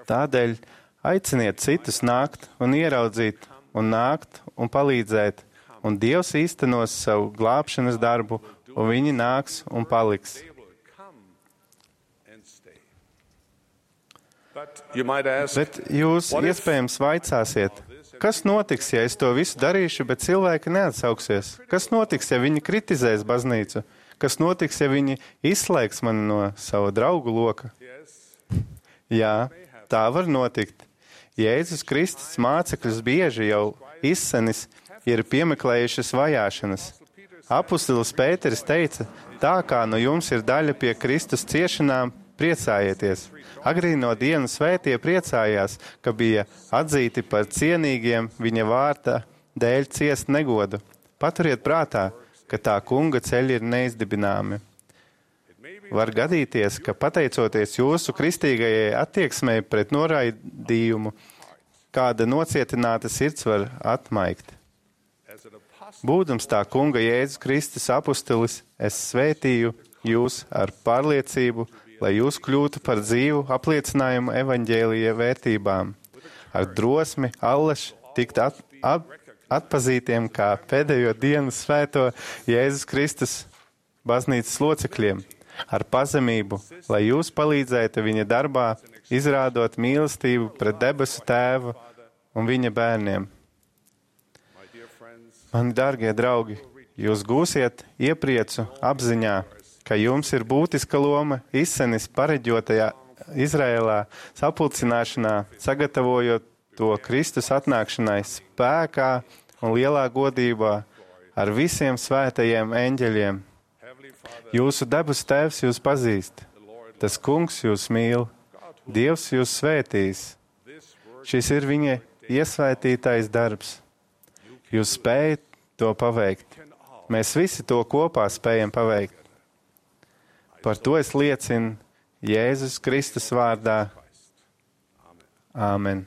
Tādēļ aiciniet citus nākt un ieraudzīt, un nākt un palīdzēt, un Dievs īstenos savu glābšanas darbu, un viņi nāks un paliks. Bet jūs iespējams vaicāsiet, kas notiks, ja es to visu darīšu, bet cilvēki neatsauksies? Kas notiks, ja viņi kritizēs baznīcu? Kas notiks, ja viņi izslēgs mani no sava draugu loka? Jā, tā var notikt. Jēzus Kristus mācekļus bieži jau izsenis ir piemeklējušas vajāšanas. Apustulis Pēteris teica, tā kā no jums ir daļa pie Kristus ciešanām, priecājieties. Agrīno dienu svētie priecājās, ka bija atzīti par cienīgiem viņa vārta dēļ ciest negodu. Paturiet prātā, ka tā kunga ceļi ir neizdibināmi. Var gadīties, ka pateicoties jūsu kristīgajai attieksmei pret noraidījumu, kāda nocietināta sirds var atmaigt. Būdams tā kunga Jēzus Kristus apustulis, es svētīju jūs ar pārliecību, lai jūs kļūtu par dzīvu apliecinājumu evaņģēlija vērtībām, ar drosmi, allaž tikt atpazītiem kā pēdējo dienu svēto Jēzus Kristus baznīcas locekļiem, ar pazemību, lai jūs palīdzētu viņa darbā, izrādot mīlestību pret debesu Tēvu un viņa bērniem. Mani dārgie draugi, jūs gūsiet iepriecu apziņā, ka jums ir būtiska loma izsenis pareģotajā Izrēlā sapulcināšanā, sagatavojot to Kristus atnākšanai spēkā un lielā godībā ar visiem svētajiem eņģeļiem. Jūsu debesu Tēvs jūs pazīst, tas Kungs jūs mīl, Dievs jūs svētīs. Šis ir viņa iesvētītais darbs. Jūs spējat to paveikt. Mēs visi to kopā spējam paveikt. Par to es liecinu Jēzus Kristus vārdā. Āmen.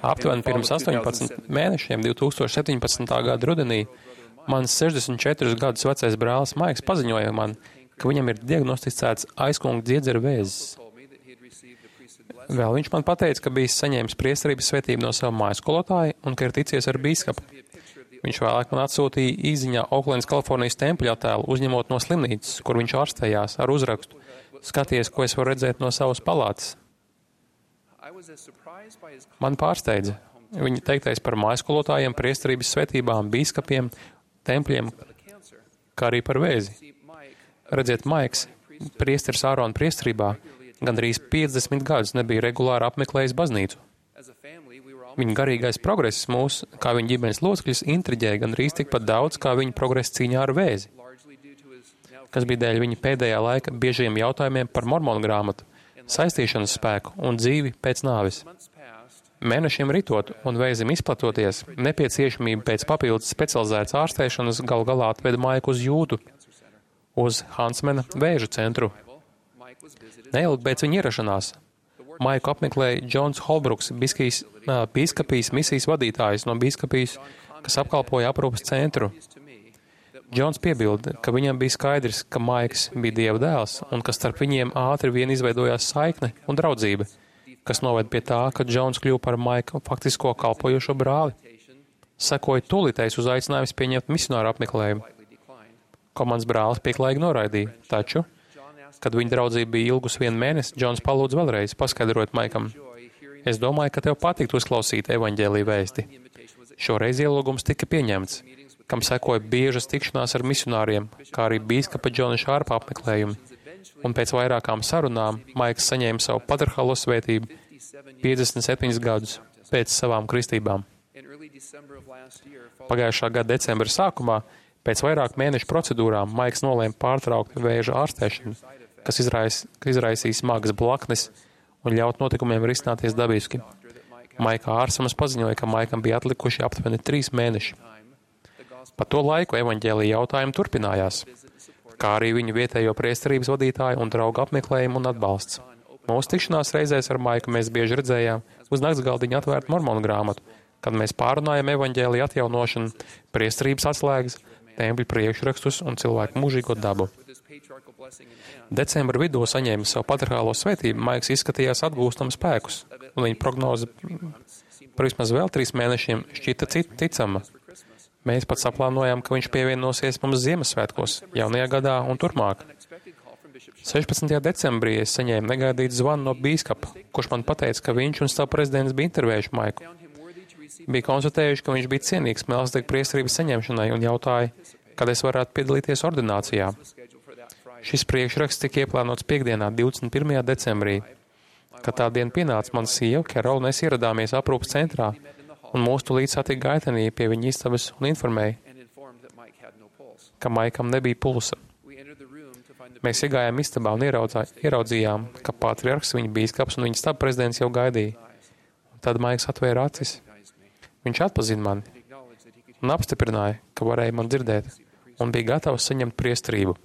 Aptuveni pirms 18 mēnešiem, 2017. gada rudenī, mans 64 gadus vecais brālis Maiks paziņoja man, ka viņam ir diagnosticēts aizkunga dziedzera vēzis. Vēl viņš man pateica, ka bijis saņēmis priesterības svētību no sava mājskolotāja un ka ir ticies ar bīskapu. Viņš vēlāk man atsūtīja īziņā Oklendas, Kalifornijas tempeļa attēlu, uzņemot no slimnīcas, kur viņš ārstējās, ar uzrakstu: skaties, ko es varu redzēt no savas palātas. Man pārsteidza viņa teiktais par mājaskolotājiem, priesterības svētībām, bīskapiem, tempļiem, kā arī par vēzi. Redziet, Maiks, priesteris Ārona priesterībā, gandrīz 50 gadus nebija regulāri apmeklējis baznīcu. Viņa garīgais progress mūs, kā viņa ģimenes locekļus, intriģēja gandrīz tikpat daudz, kā viņa progress cīņā ar vēzi, kas bija dēļ viņa pēdējā laika biežajiem jautājumiem par mormonu grāmatu, saistīšanas spēku un dzīvi pēc nāves. Mēnešiem ritot un vēzim izplatoties, nepieciešamība pēc papildus specializētas ārstēšanas gal galā atveda Maiku uz Jūtu, uz Hansmana vēža centru. Neilgi pēc viņa ierašanās Maiku apmeklēja Džons Holbruks, bīskapijas misijas vadītājs no bīskapijas, kas apkalpoja aprūpas centru. Džons piebilda, ka viņam bija skaidrs, ka Maiks bija Dieva dēls un ka starp viņiem ātri vien izveidojās saikne un draudzība, kas noved pie tā, ka Džons kļuva par Maika faktisko kalpojošo brāli. Sekoja tūlītais uzaicinājums pieņemt misionāru apmeklējumu, ko mans brālis pieklājīgi noraidīja, taču, kad viņa draudzība bija ilgus 1 mēnesi, Džons palūdza vēlreiz, paskaidrot Maikam: es domāju, ka tev patiktu uzklausīt evaņģēlija vēsti. Šoreiz ielūgums tika pieņemts, kam sekoja biežas tikšanās ar misionāriem, kā arī bīskapa Džona Šārpa apmeklējumi. Un pēc vairākām sarunām Maiks saņēma savu patriarchālo svētību 57 gadus pēc savām kristībām. Pagājušā gada decembra sākumā, pēc vairāku mēnešu procedūrām, Maiks nolēma pārtraukt vēža ārstēšanu, kas izraisīs smagas blaknes un ļaut notikumiem risināties dabiski. Maika ārstams paziņoja, ka Maikam bija atlikuši aptuveni 3 mēneši. Pa to laiku evaņģēlija jautājumi turpinājās, kā arī viņu vietējo priesterības vadītāju un draugu apmeklējumu un atbalsts. Mūsu tikšanās reizēs ar Maiku mēs bieži redzējām uz naktsgaldiņa atvērtu mormonu grāmatu, kad mēs pārunājam evaņģēlija atjaunošanu, priesterības atslēgas, tempļu priekšrakstus un cilvēku mūžīgo dabu. Decembra vidū saņēma savu patriarchālo svētību, Maiks izskatījās atgūstam spēkus, un viņa prognoze par vismaz vēl 3 mēnešiem šķita ticama. Mēs pat saplānojām, ka viņš pievienosies mums Ziemassvētkos, jaunajā gadā un turpmāk. 16. decembrī es saņēmu negaidītu zvanu no bīskapa, kurš man pateica, ka viņš un stāv prezidents bija intervējuši Maiku. Bija konstatējuši, ka viņš bija cienīgs melzdega priesterības saņemšanai un jautāja, kad es varētu piedalīties ordinācijā. Šis priekšraksts tika ieplānots piekdienā, 21. decembrī. Kad tā diena pienāca, mana sieva, Kerola, un es ieradāmies aprūpas centrā, un mūsu tūlīt satika gaitenī pie viņa istabas un informēja, ka Maikam nebija pulsa. Mēs iegājām istabā un ieraudzījām, ka patriarhs, viņa bīskaps un viņa staba prezidents jau gaidīja. Tad Maiks atvēra acis. Viņš atpazina mani un apstiprināja, ka varēja man dzirdēt, un bija gatavs saņemt priesterību.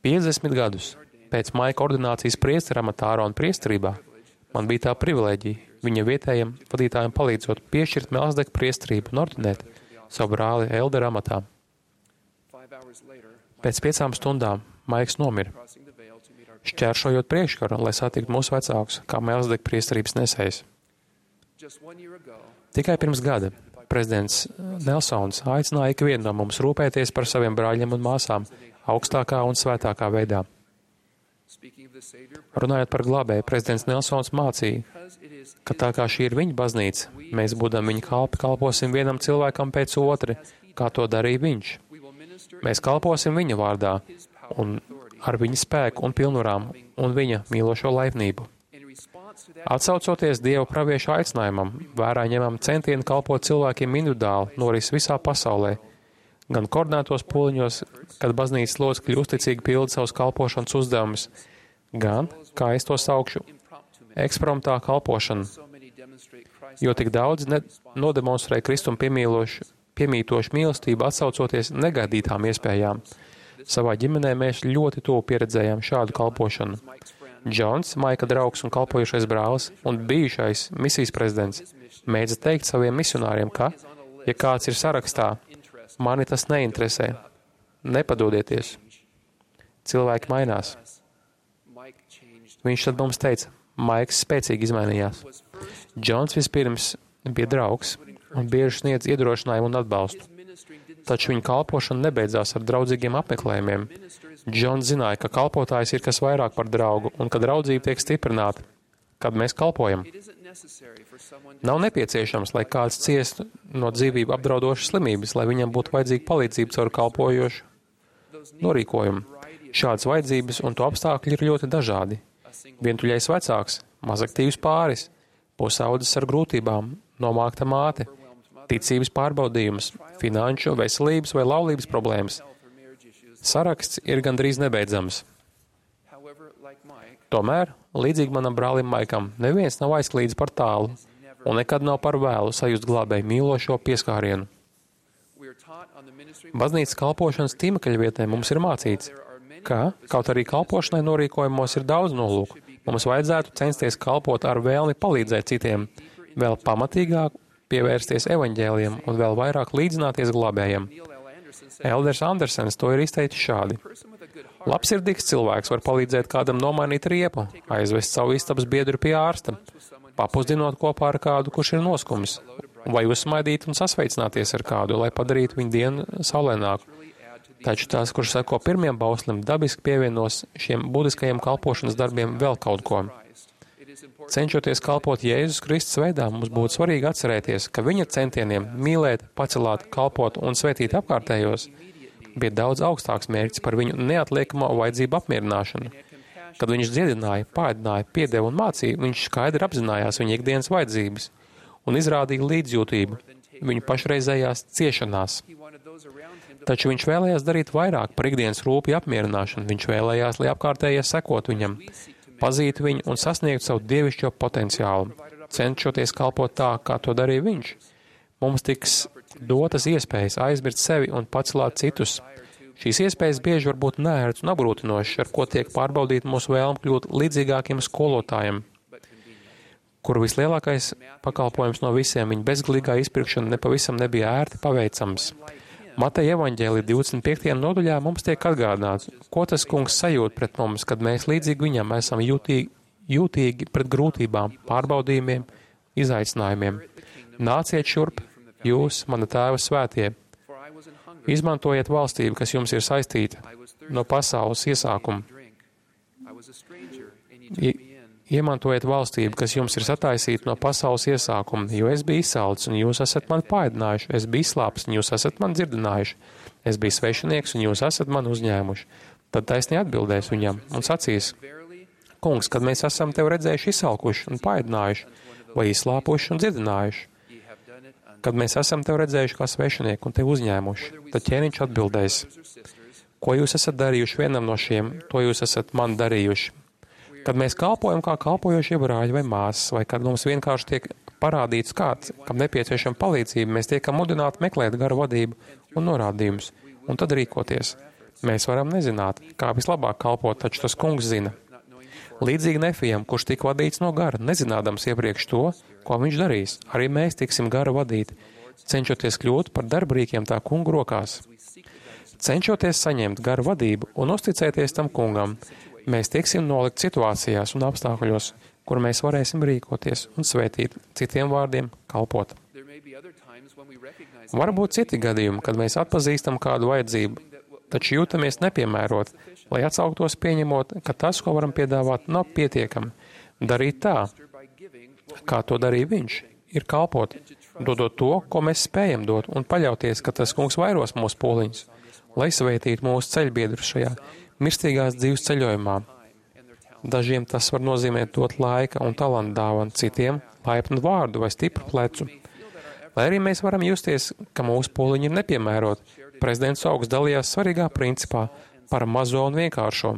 50 gadus pēc Maika ordinācijas priestera amatā Ārona priesterībā man bija tā privilēģija viņa vietējiem vadītājiem palīdzot piešķirt melzdega priesterību un ordinēt savu brāli eldera amatā. Pēc 5 stundām Maiks nomira, šķēršojot priekškaru, lai satiktu mūsu vecākus, kā melzdega priesterības nesējs. Tikai pirms gada prezidents Nelsons aicināja ikvienu no mums rūpēties par saviem brāļiem un māsām augstākā un svētākā veidā. Runājot par glābēju, prezidents Nelsons mācīja, ka tā kā šī ir viņa baznīca, mēs, būdam viņa kalpi, kalposim vienam cilvēkam pēc otra, kā to darīja viņš. Mēs kalposim viņa vārdā un ar viņa spēku un pilnvarām un viņa mīlošo laipnību. Atsaucoties Dieva praviešu aicinājumam, vērā ņemam centienu kalpot cilvēkiem individuāli noris visā pasaulē, gan koordinētos pūliņos, kad baznīcas locekļi uzticīgi pilda savus kalpošanas uzdevumus, gan, kā es to saukšu, ekspromptā kalpošana, jo tik daudz nodemonstrē Kristumu piemītošu mīlestību atsaucoties negaidītām iespējām. Savā ģimenē mēs ļoti tuvu pieredzējām šādu kalpošanu. Džons, Maika draugs un kalpojušais brālis un bijušais misijas prezidents, mēdza teikt saviem misionāriem, ka, ja kāds ir sarakstā, mani tas neinteresē. Nepadodieties. Cilvēki mainās. Viņš tad mums teica, Maiks spēcīgi izmainījās. Džons vispirms bija draugs un bieži sniedz iedrošinājumu un atbalstu. Taču viņa kalpošana nebeidzās ar draudzīgiem apmeklējumiem. Džons zināja, ka kalpotājs ir kas vairāk par draugu un ka draudzība tiek stiprināta, kad mēs kalpojam. Nav nepieciešams, lai kāds ciestu no dzīvību apdraudošas slimības, lai viņam būtu vajadzīga palīdzība caur kalpojošu norīkojumu. Šādas vajadzības un to apstākļi ir ļoti dažādi. Vientuļais vecāks, mazaktīvs pāris, pusaudzis ar grūtībām, nomākta māte, ticības pārbaudījums, finanšu, veselības vai laulības problēmas. Saraksts ir gandrīz nebeidzams. Tomēr, līdzīgi manam brālim Maikam, neviens nav aizklīdis par tālu un nekad nav par vēlu sajust glābēju mīlošo pieskārienu. Baznīcas kalpošanas tīmekļa vietnē mums ir mācīts, ka, kaut arī kalpošanai norīkojumos ir daudz nolūku, mums vajadzētu censties kalpot ar vēlmi palīdzēt citiem, vēl pamatīgāk pievērsties evaņģēlijam un vēl vairāk līdzināties glābējam. Elders Andersens to ir izteicis šādi. Labsirdīgs cilvēks var palīdzēt kādam nomainīt riepu, aizvest savu istabas biedru pie ārsta, papusdinot kopā ar kādu, kurš ir noskumis, vai uzsmaidīt un sasveicināties ar kādu, lai padarītu viņu dienu saulēnāku. Taču tās, kurš seko pirmiem bauslim, dabiski pievienos šiem būtiskajiem kalpošanas darbiem vēl kaut ko. Cenšoties kalpot Jēzus Kristus veidā, mums būtu svarīgi atcerēties, ka viņa centieniem mīlēt, pacelāt, kalpot un svētīt apkārtējos bija daudz augstāks mērķis par viņu neatliekamo vajadzību apmierināšanu. Kad viņš dziedināja, pāēdināja, piedeva un mācīja, viņš skaidri apzinājās viņa ikdienas vajadzības un izrādīja līdzjūtību viņu pašreizējās ciešanās. Taču viņš vēlējās darīt vairāk par ikdienas rūpju apmierināšanu. Viņš vēlējās, lai apkārtējie sekot viņam, pazītu viņu un sasniegtu savu dievišķo potenciālu, cenšoties kalpot tā, kā to darīja viņš. Mums tiks dotas iespējas aizmirst sevi un pacelāt citus. Šīs iespējas bieži var būt neērts un apgrūtinošas, ar ko tiek pārbaudīt mūsu vēlme kļūt līdzīgākiem skolotājiem, kuru vislielākais pakalpojums no visiem viņa bezgalīgā izpirkšana nepavisam nebija ērti paveicams. Mateja evaņģēlija 25. nodaļā mums tiek atgādināts, ko tas kungs sajūt pret mums, kad mēs līdzīgi viņam esam jūtīgi pret grūtībām, pārbaudījumiem, izaicinājumiem. Nāciet šurp, jūs, mana tēva svētie. Izmantojiet valstību, kas jums ir saistīta no pasaules iesākuma. Iemantojiet valstību, kas jums ir sataisīta no pasaules iesākuma, jo es biju izsalcis, un jūs esat mani paēdinājuši, es biju izslāpis, un jūs esat mani dzirdinājuši, es biju svešinieks, un jūs esat mani uzņēmuši. Tad taisni atbildēs viņam un sacīs, kungs, kad mēs esam tev redzējuši izsalkuši un paēdinājuši, vai izslāpuši un dzirdinājuši, kad mēs esam tev redzējuši kā svešinieki un tev uzņēmuši, tad ķēniņš atbildēs, ko jūs esat darījuši vienam no šiem, to jūs esat man darījuši. Kad mēs kalpojam kā kalpojošie brāļi vai māsas, vai kad mums vienkārši tiek parādīts kāds, kam nepieciešama palīdzība, mēs tiekam mudināti meklēt garu vadību un norādījumus, un tad rīkoties. Mēs varam nezināt, kā vislabāk kalpot, taču tas kungs zina. Līdzīgi Nefijam, kurš tika vadīts no gara, nezinādams iepriekš to, ko viņš darīs, arī mēs tiksim gara vadīti, cenšoties kļūt par darbrīkiem tā kungu rokās. Cenšoties saņemt garu vadību un uzticēties tam kungam, mēs tieksim nolikt situācijās un apstākļos, kur mēs varēsim rīkoties un svētīt, citiem vārdiem kalpot. Varbūt citi gadījumi, kad mēs atpazīstam kādu vajadzību, taču jūtamies nepiemērot, lai atsauktos pieņemot, ka tas, ko varam piedāvāt, nav pietiekami. Darīt tā, kā to darīja viņš, ir kalpot, dodot to, ko mēs spējam dot, un paļauties, ka tas kungs vairos mūsu pūliņus, lai svētītu mūsu ceļbiedrus šajā mirstīgās dzīves ceļojumā. Dažiem tas var nozīmēt dot laika un talantu dāvanu, citiem laipnu vārdu vai stipru plecu. Lai arī mēs varam justies, ka mūsu pūliņi ir nepiemēroti, prezidents Augsts dalījās svarīgā principā par mazo un vienkāršo.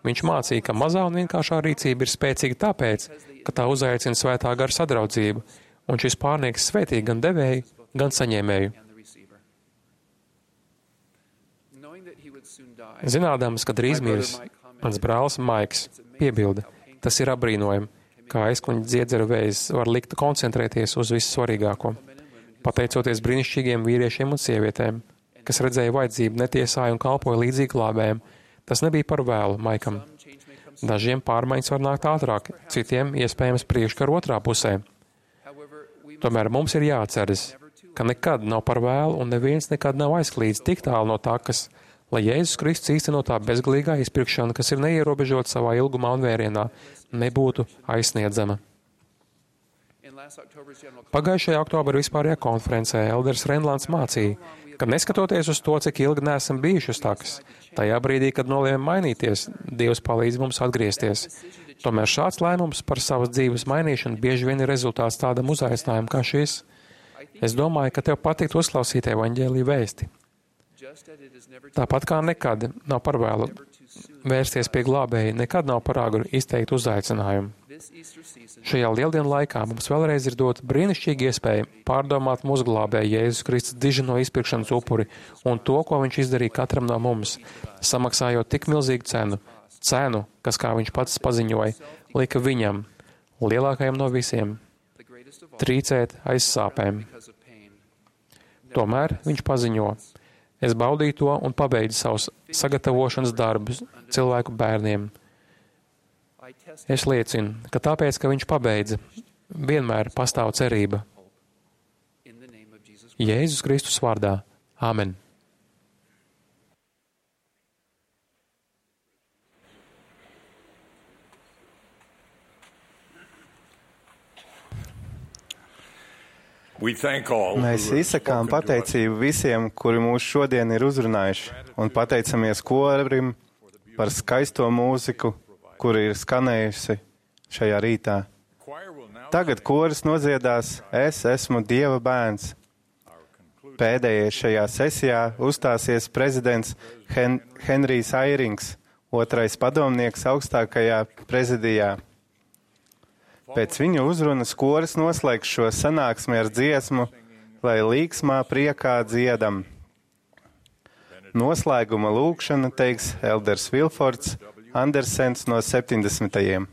Viņš mācīja, ka mazā un vienkāršā rīcība ir spēcīga tāpēc, ka tā uzaicina svētā gara sadraudzību, un šis pārnieks svētī gan devēju, gan saņēmēju. Zinādams, ka drīz mirs, mans brālis Maiks piebilda, Tas ir apbrīnojami, kā aizkuņa dziedzeru vējs var likt koncentrēties uz visu svarīgāko. Pateicoties brīnišķīgiem vīriešiem un sievietēm, kas redzēja vajadzību, netiesāja un kalpoja līdzīgi glābējiem, tas nebija par vēlu Maikam. Dažiem pārmaiņas var nākt ātrāk, citiem iespējams priekškaru otrā pusē. Tomēr mums ir jāatceras, ka nekad nav par vēlu un neviens nekad nav aizklīdis tik tālu no takas, lai Jēzus Kristus īstenotā bezgalīgā izpirkšana, kas ir neierobežota savā ilgumā un vērienā, nebūtu aizsniedzama. Pagājušajā oktobra vispārējā konferencē Elders Renlands mācīja, ka neskatoties uz to, cik ilgi neesam bijuši uz takas, tajā brīdī, kad nolēmām mainīties, Dievs palīdz mums atgriezties. Tomēr šāds lēmums par savas dzīves mainīšanu bieži vien ir rezultāts tādam uzaicinājumam kā šis. Es domāju, ka tev patīk uzklausīt evaņģēliju vēsti. Tāpat kā nekad nav par vēlu vērsties pie glābēja, nekad nav par agru izteikt uzaicinājumu. Šajā lieldienu laikā mums vēlreiz ir dota brīnišķīga iespēja pārdomāt mūsu glābēja Jēzus Kristus dižino izpirkšanas upuri un to, ko viņš izdarīja katram no mums, samaksājot tik milzīgu cenu, kas, kā viņš pats paziņoja, lika viņam, lielākajam no visiem, trīcēt aiz sāpēm. Tomēr viņš paziņo: es baudīju to un pabeidzu savus sagatavošanas darbus cilvēku bērniem. Es liecinu, ka tāpēc, ka viņš pabeidza, vienmēr pastāv cerība. Jēzus Kristus vārdā. Āmen. Mēs izsakām pateicību visiem, kuri mūs šodien ir uzrunājuši, un pateicamies korim par skaisto mūziku, kuri ir skanējusi šajā rītā. Tagad koris nodziedās Es esmu Dieva bērns. Pēdējais šajā sesijā uzstāsies prezidents Henrijs Airings, otrais padomnieks augstākajā prezidijā. Pēc viņa uzrunas koris noslēgs šo sanāksmi ar dziesmu, lai līksmā priekā dziedam. Noslēguma lūkšana teiks Elders Vilfords Andersens no 70.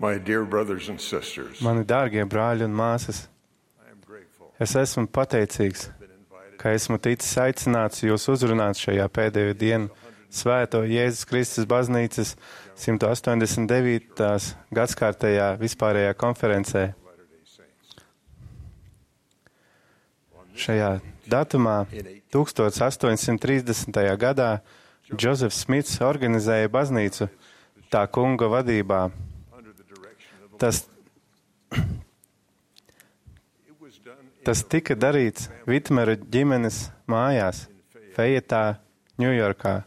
My dear brothers and sisters, Mani dārgie brāļi un māsas, I am grateful es esmu pateicīgs, been invited ka esmu ticis aicināts jūs uzrunāt šajā pēdējo dienu Svēto Jēzus Kristus baznīcas 189. gadskārtējā vispārējā konferencē. Latter-day Saints. Šajā datumā 1830. gadā Džozefs Smits organizēja baznīcu tā kunga vadībā. Under the direction of the Tas, it was done in tas tika darīts Vitmera ģimenes mājās, Fejetā, Ņujorkā.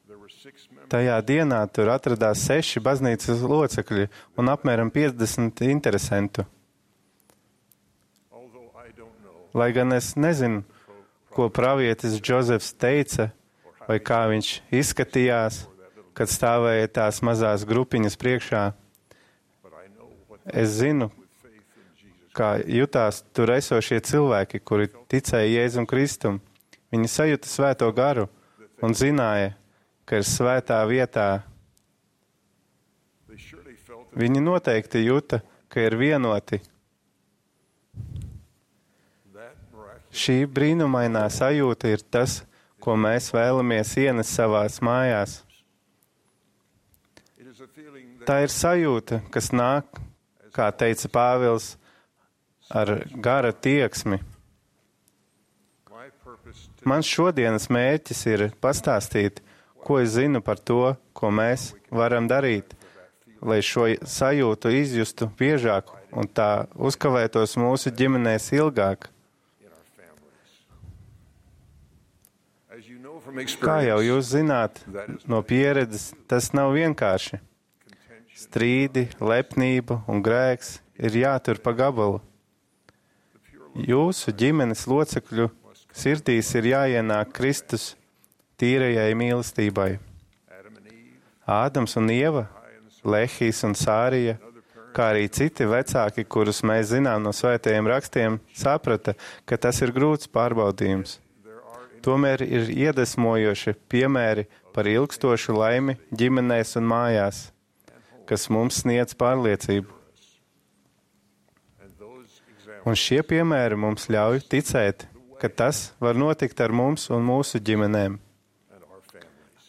there were 6 members. Tajā dienā tur atradās 6 baznīcas locekļi un apmēram 50 interesentu. Although I don't know Lai gan es nezinu, ko pravietis Džozefs teica, vai kā viņš izskatījās, kad stāvēja tās mazās grupiņas priekšā, but I know what es zinu, faith in Jesus. kā jutās tur esošie cilvēki, kuri ticēja Jēzum Kristum. Viņi sajuta svēto garu un zināja, ka ir svētā vietā. They surely felt that Viņi noteikti juta, ka ir vienoti. miraculous Šī brīnumainā sajūta ir tas, ko mēs vēlamies ienest savās mājās. it is a feeling that Tā ir sajūta, kas nāk, kā teica Pāvils, ar gara tieksmi. my purpose to Mans šodienas mērķis ir pastāstīt, ko es zinu par to, ko mēs varam darīt, lai šo sajūtu izjustu biežāk un tā uzkavētos mūsu ģimenēs ilgāk. in our families. As you know from Kā jau experience, jūs zināt, no pieredzes tas nav vienkārši. Strīdi, lepnība un grēks ir jātur pa gabalu. Jūsu ģimenes locekļu sirdīs ir jāienāk Kristus tīrajai mīlestībai. Adam and Eve, Ādams un Ieva, Lehijs un Sārija, kā arī citi vecāki, kurus mēs zinām no svētajiem rakstiem, saprata, ka tas ir grūts pārbaudījums. Tomēr ir iedvesmojoši piemēri par ilgstošu laimi ģimenēs un mājās, kas mums sniedz pārliecību. and those examples Un šie piemēri mums ļauj ticēt, ka tas var notikt ar mums un mūsu ģimenēm. and our families.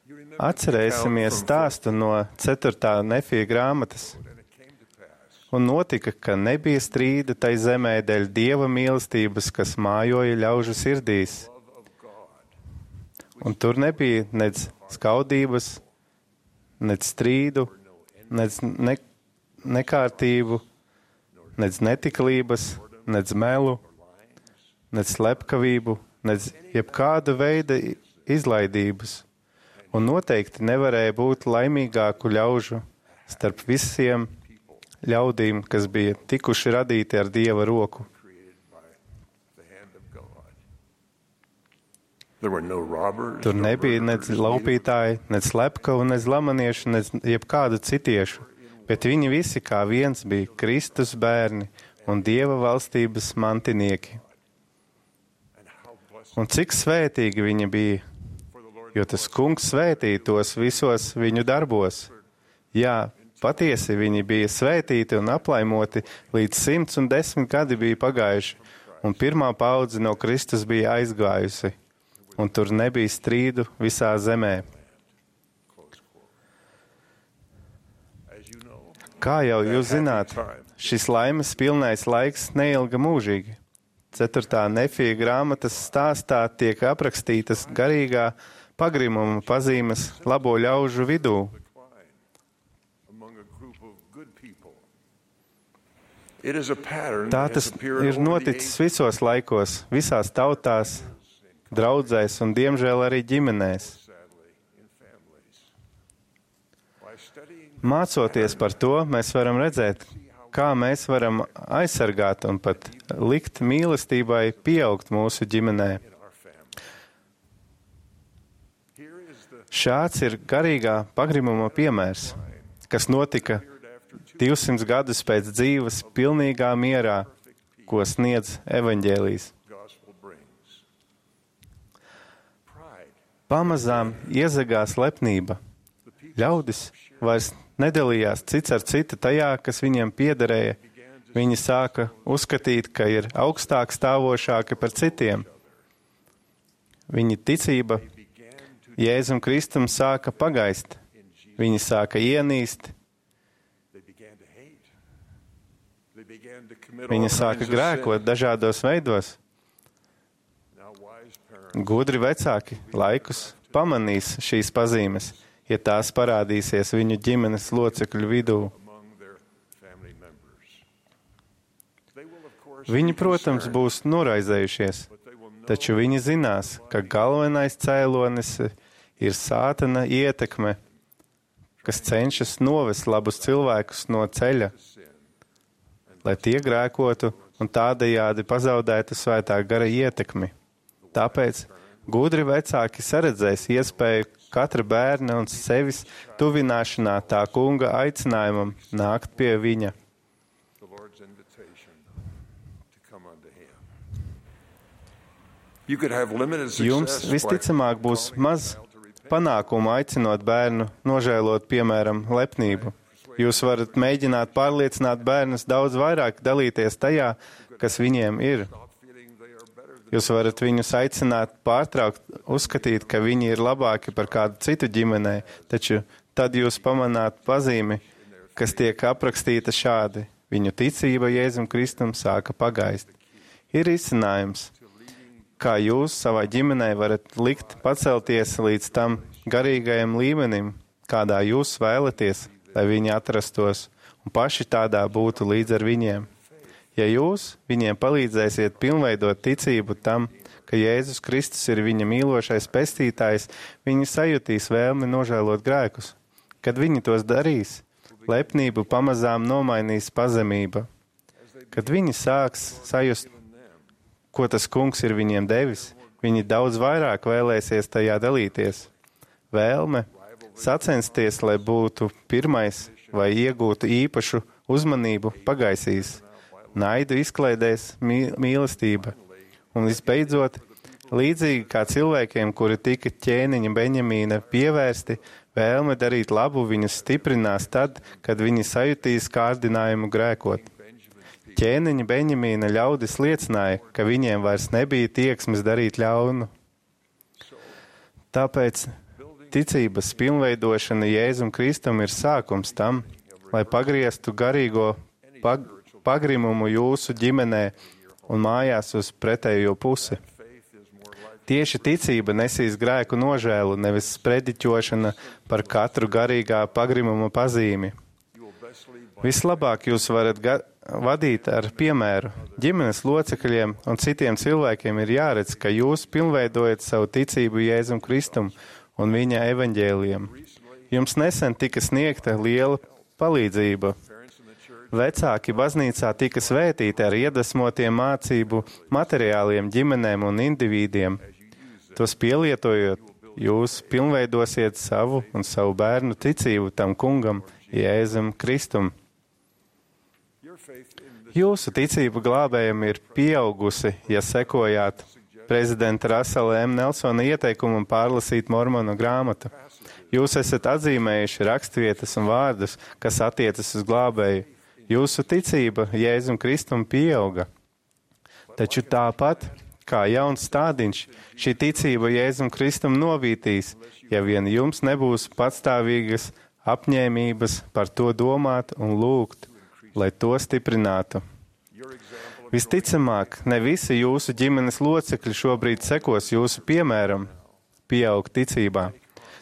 You remember Atcerēsimies stāstu no 4. Nefija grāmatas. and it came to pass Un notika, ka nebija strīda tai zemē dēļ Dieva mīlestības, kas mājoja ļaužu sirdīs. love of God Un tur nebija nec skaudības, nec strīdu, nec nekārtību, nec netiklības, nec melu, nec slepkavību, nec jebkāda veida izlaidības. Un noteikti nevarēja būt laimīgāku ļaužu starp visiem ļaudīm, kas bija tikuši radīti ar Dieva roku. created by the hand of God. There were no robbers, Tur no nebija nec murderers, laupītāji, nec slepkavu, nec lamaniešu, nec jebkādu citiešu, bet viņi visi kā viens bija Kristus bērni un Dieva valstības mantinieki. and how blessed Un cik svētīgi viņi bija, for the Lord jo tas kungs svētīja tos visos viņu darbos. Jā, patiesi viņi bija svētīti un aplaimoti, līdz 110 gadi bija pagājuši, un pirmā paudze no Kristus bija aizgājusi, un tur nebija strīdu visā zemē. as you know, Kā jau jūs zināt, šis laimes pilnais laiks neilga mūžīgi. 4. Nefija grāmatas stāstā tiek aprakstītas garīgā pagrimuma pazīmes labo ļaužu vidū. decline among a group of good people. It is a pattern Tā that tas has appeared ir over the noticis ages, visos laikos, visās tautās, draudzēs un diemžēl arī ģimenēs. sadly, in families. By studying Mācoties par to, mēs varam redzēt, kā mēs varam aizsargāt un pat likt mīlestībai pieaugt mūsu ģimenē. in our family, here is the Šāds ir garīgā pagrimuma piemērs, kas notika 200 gadus pēc dzīves pilnīgā mierā, ko sniedz evaņģēlijs. gospel brings. Pride. Pamazām iezagās lepnība. Ļaudis vairs nedalījās cits ar citu tajā, kas viņiem piederēja. Viņi sāka uzskatīt, ka ir augstāk stāvošāki par citiem. Viņa ticība Jēzum Kristum sāka pagaist. Viņi sāka ienīst. Viņi sāka grēkot dažādos veidos. Gudri vecāki laikus pamanīs šīs pazīmes, ja tās parādīsies viņu ģimenes locekļu vidū. Viņi, protams, būs noraizējušies, taču viņi zinās, ka galvenais cēlonis ir Sātana ietekme, kas cenšas novest labus cilvēkus no ceļa, lai tie grēkotu un tādējādi pazaudētu svētā gara ietekmi. Tāpēc gudri vecāki saredzēs iespēju katra bērna un sevis tuvināšanā tā kunga aicinājumam nākt pie viņa. Jums visticamāk būs maz panākumu aicinot bērnu nožēlot, piemēram, lepnību. Jūs varat mēģināt pārliecināt bērnus daudz vairāk dalīties tajā, kas viņiem ir. Jūs varat viņus aicināt pārtraukt, uzskatīt, ka viņi ir labāki par kādu citu ģimenē, taču tad jūs pamanāt pazīmi, kas tiek aprakstīta šādi. Viņu ticība Jēzum Kristum sāka pagaist. Ir izcinājums, kā jūs savā ģimenē varat likt pacelties līdz tam garīgajam līmenim, kādā jūs vēlaties, lai viņi atrastos, un paši tādā būtu līdz ar viņiem. Ja jūs viņiem palīdzēsiet pilnveidot ticību tam, ka Jēzus Kristus ir viņa mīlošais pestītājs, viņi sajutīs vēlmi nožēlot grēkus. Kad viņi tos darīs, lepnību pamazām nomainīs pazemība. Kad viņi sāks sajust, ko tas kungs ir viņiem devis, viņi daudz vairāk vēlēsies tajā dalīties. Vēlme sacensties, lai būtu pirmais vai iegūtu īpašu uzmanību, pagaisīs. Naidu izklaidēs mīlestība. Un visbeidzot, līdzīgi kā cilvēkiem, kuri tika ķēniņa Beņamīna pievērsti, vēlme darīt labu viņus stiprinās tad, kad viņi sajutīs kārdinājumu grēkot. Ķēniņa Beņamīna ļaudis liecināja, ka viņiem vairs nebija tieksmes darīt ļaunu. Tāpēc ticības pilnveidošana Jēzum Kristum ir sākums tam, lai pagrieztu garīgo pagrimumu jūsu ģimenē un mājās uz pretējo pusi. Tieši ticība nesīs grēku nožēlu, nevis sprediķošana par katru garīgā pagrimuma pazīmi. Vislabāk jūs varat vadīt ar piemēru. Ģimenes locekļiem un citiem cilvēkiem ir jāredz, ka jūs pilnveidojat savu ticību Jēzum Kristum un viņa evaņģēlijam. Jums nesen tika sniegta liela palīdzība. Vecāki baznīcā tika svētīti ar iedvesmotiem mācību materiāliem ģimenēm un indivīdiem. Tos pielietojot, jūs pilnveidosiet savu un savu bērnu ticību tam kungam, Jēzum Kristum. Jūsu ticība glābējam ir pieaugusi, ja sekojāt prezidenta Rasela M. Nelsona ieteikumu pārlasīt Mormonu grāmatu. Jūs esat atzīmējuši rakstvietas un vārdus, kas attiecas uz glābēju. Jūsu ticība Jēzum Kristum pieauga. Taču tāpat, kā jauns stādiņš, šī ticība Jēzum Kristum novītīs, ja vien jums nebūs patstāvīgas apņēmības par to domāt un lūgt, lai to stiprinātu. Visticamāk, ne visi jūsu ģimenes locekļi šobrīd sekos jūsu piemēram, pieaug ticībā,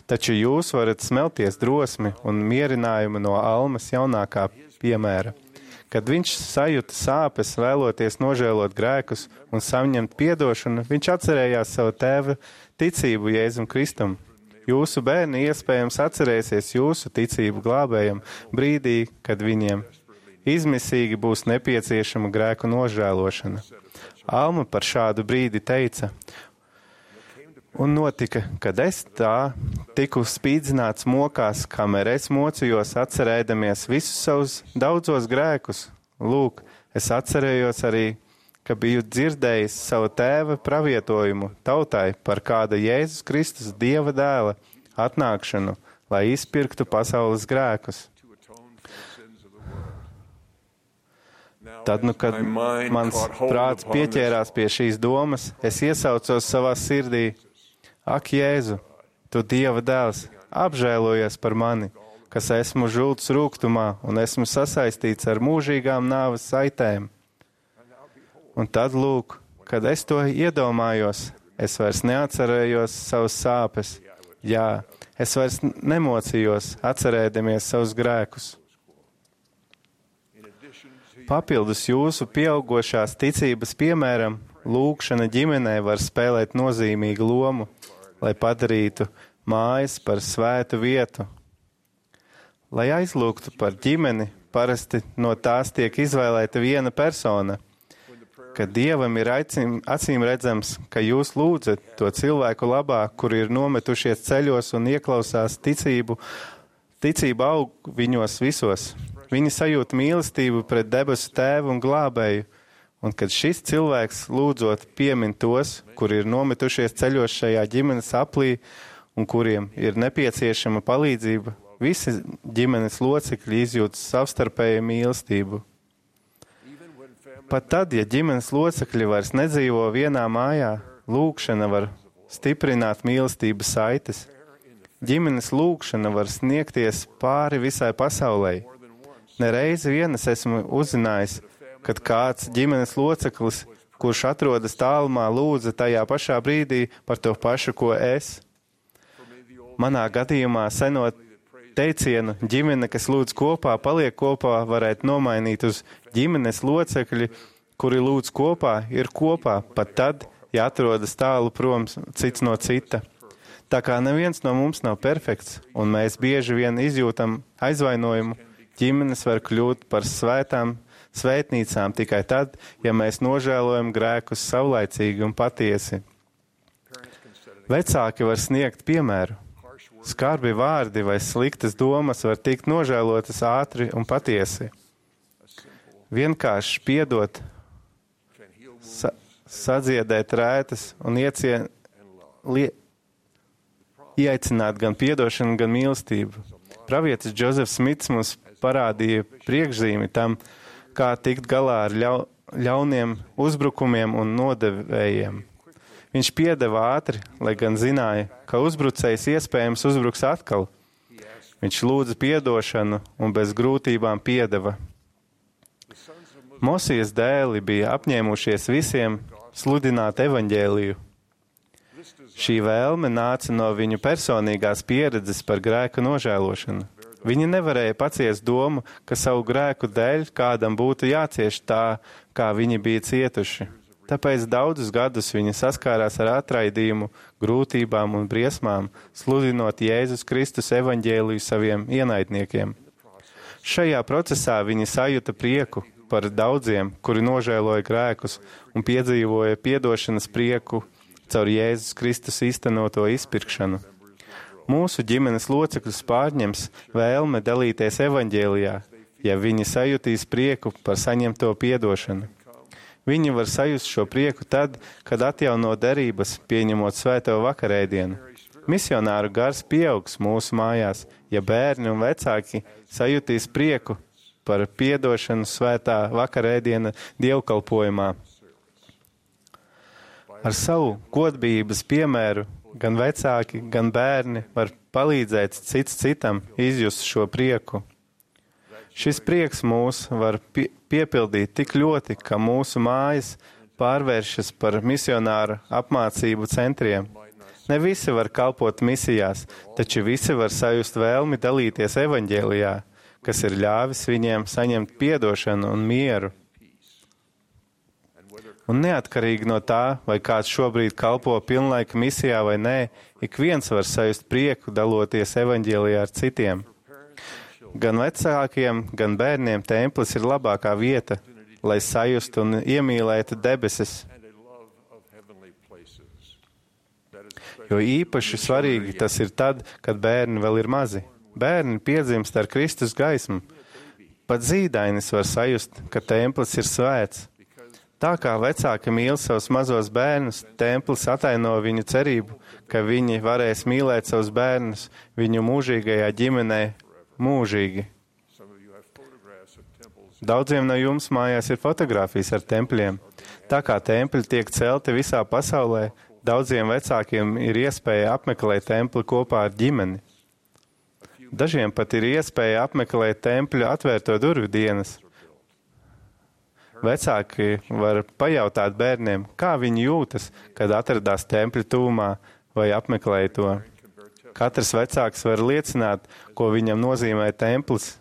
taču jūs varat smelties drosmi un mierinājumu no Almas jaunākā piemēra. Kad viņš sajuta sāpes, vēloties nožēlot grēkus un saņemt piedošanu, viņš atcerējās savu tēva ticību Jēzum Kristum. Jūsu bērni iespējams atcerēsies jūsu ticību glābējam brīdī, kad viņiem izmisīgi būs nepieciešama grēku nožēlošana. Alma par šādu brīdi teica: un notika, kad es tā tiku spīdzināts mokās, kamēr es mocījos atcerēdamies visus savus daudzos grēkus. Lūk, es atcerējos arī, ka biju dzirdējis savu tēva pravietojumu tautai par kāda Jēzus Kristus Dieva dēla atnākšanu, lai izpirktu pasaules grēkus. Tad, kad mans prāts pieķērās pie šīs domas, es iesaucos savā sirdī: Ak, Jēzu, tu Dieva dēls, apžēlojies par mani, kas esmu žults rūgtumā un esmu sasaistīts ar mūžīgām nāves saitēm. Un tad, lūk, kad es to iedomājos, es vairs neatcerējos savas sāpes. Jā, es vairs nemocījos, atcerēdamies savus grēkus. Papildus jūsu pieaugošās ticības piemēram, lūgšana ģimenē var spēlēt nozīmīgu lomu, lai padarītu mājas par svētu vietu. Lai aizlūgtu par ģimeni, parasti no tās tiek izvēlēta viena persona. Kad Dievam ir acīm redzams, ka jūs lūdzat to cilvēku labā, kuri ir nometušies ceļos un ieklausās ticība aug viņos visos. Viņi sajūt mīlestību pret debesu Tēvu un Glābēju, un kad šis cilvēks lūdzot piemin tos, kuri ir nometušies ceļos šajā ģimenes aplī un kuriem ir nepieciešama palīdzība, visi ģimenes locekļi izjūt savstarpēju mīlestību. Pat tad, ja ģimenes locekļi vairs nedzīvo vienā mājā, lūgšana var stiprināt mīlestības saites. Ģimenes lūgšana var sniegties pāri visai pasaulē. Nereizi vien es esmu uzzinājis, kad kāds ģimenes loceklis, kurš atrodas tālumā, lūdza tajā pašā brīdī par to pašu, ko es. Manā gadījumā senot teicienu ģimene, kas lūdz kopā, paliek kopā, varētu nomainīt uz ģimenes locekļi, kuri lūdz kopā, ir kopā, pat tad, ja atrodas tālu prom cits no cita. Tā kā neviens no mums nav perfekts, un mēs bieži vien izjūtam aizvainojumu, ģimenes var kļūt par svētnīcām tikai tad, ja mēs nožēlojam grēkus savlaicīgi un patiesi. Vecāki var sniegt piemēru. Skarbi vārdi vai sliktas domas var tikt nožēlotas ātri un patiesi. Vienkārši piedot, sadziedēt rētas un ieaicināt gan piedošanu, gan mīlestību. Pravietis Džozefs Smits mums parādīja priekšzīmi tam, kā tikt galā ar ļauniem uzbrukumiem un nodevējiem. Viņš piedeva ātri, lai gan zināja, ka uzbrucējs iespējams uzbruks atkal. Viņš lūdza piedošanu un bez grūtībām piedeva. Mosijas dēli bija apņēmušies visiem sludināt evaņģēliju. Šī vēlme nāca no viņu personīgās pieredzes par grēku nožēlošanu. Viņi nevarēja paciest domu, ka savu grēku dēļ kādam būtu jācieš tā, kā viņi bija cietuši. Tāpēc daudzus gadus viņi saskārās ar atraidījumu, grūtībām un briesmām, sludinot Jēzus Kristus evaņģēliju saviem ienaidniekiem. Šajā procesā viņi sajuta prieku par daudziem, kuri nožēloja grēkus un piedzīvoja piedošanas prieku caur Jēzus Kristus īstenoto izpirkšanu. Mūsu ģimenes locekļus pārņems vēlme dalīties evaņģēlijā, ja viņi sajutīs prieku par saņemto piedošanu. Viņi var sajust šo prieku tad, kad atjauno derības, pieņemot svēto vakarēdienu. Misionāru gars pieaugs mūsu mājās, ja bērni un vecāki sajutīs prieku par piedošanu svētā vakarēdiena dievkalpojumā. Ar savu godbības piemēru gan vecāki, gan bērni var palīdzēt cits citam izjust šo prieku. Šis prieks mūs var piepildīt tik ļoti, ka mūsu mājas pārvēršas par misionāru apmācību centriem. Ne visi var kalpot misijās, taču visi var sajust vēlmi dalīties evaņģēlijā, kas ir ļāvis viņiem saņemt piedošanu un mieru. Un neatkarīgi no tā, vai kāds šobrīd kalpo pilnlaika misijā vai nē, ik viens var sajust prieku daloties evaņģēlijā ar citiem. Gan vecākiem, gan bērniem templis ir labākā vieta, lai sajustu un iemīlētu debesis. Jo īpaši svarīgi tas ir tad, kad bērni vēl ir mazi. Bērni piedzimst ar Kristus gaismu. Pat zīdainis var sajust, ka templis ir svēts. Tā kā vecāki mīl savus mazos bērnus, templis ataino viņu cerību, ka viņi varēs mīlēt savus bērnus viņu mūžīgajā ģimenē mūžīgi. Daudziem no jums mājās ir fotogrāfijas ar tempļiem. Tā kā tempļi tiek celti visā pasaulē, daudziem vecākiem ir iespēja apmeklēt templi kopā ar ģimeni. Dažiem pat ir iespēja apmeklēt tempļu atvērto durvju dienas. Vecāki var pajautāt bērniem, kā viņi jūtas, kad atradās tempļa tūmā vai apmeklēja to. Katrs vecāks var liecināt, ko viņam nozīmē templis.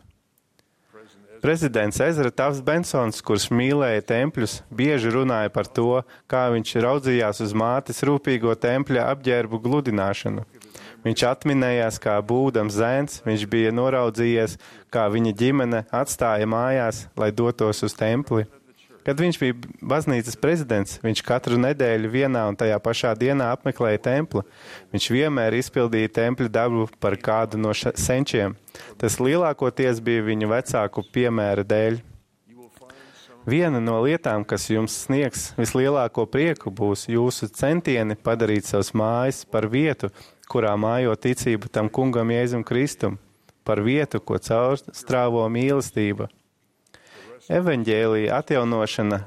Prezidents Ezra Tafts Bensons, kurš mīlēja tempļus, bieži runāja par to, kā viņš raudzījās uz mātes rūpīgo tempļa apģērbu gludināšanu. Viņš atminējās, kā būdams zēns, viņš bija noraudzījies, kā viņa ģimene atstāja mājās, lai dotos uz templi. Kad viņš bija baznīcas prezidents, viņš katru nedēļu vienā un tajā pašā dienā apmeklēja templi. Viņš vienmēr izpildīja tempļa darbu par kādu no senčiem. Tas lielākoties bija viņu vecāku piemēra dēļ. Viena no lietām, kas jums sniegs vislielāko prieku, būs jūsu centieni padarīt savas mājas par vietu, kurā mājo ticība tam kungam Jēzum Kristum, par vietu, ko caurstrāvo mīlestība. Evaņģēlija atjaunošana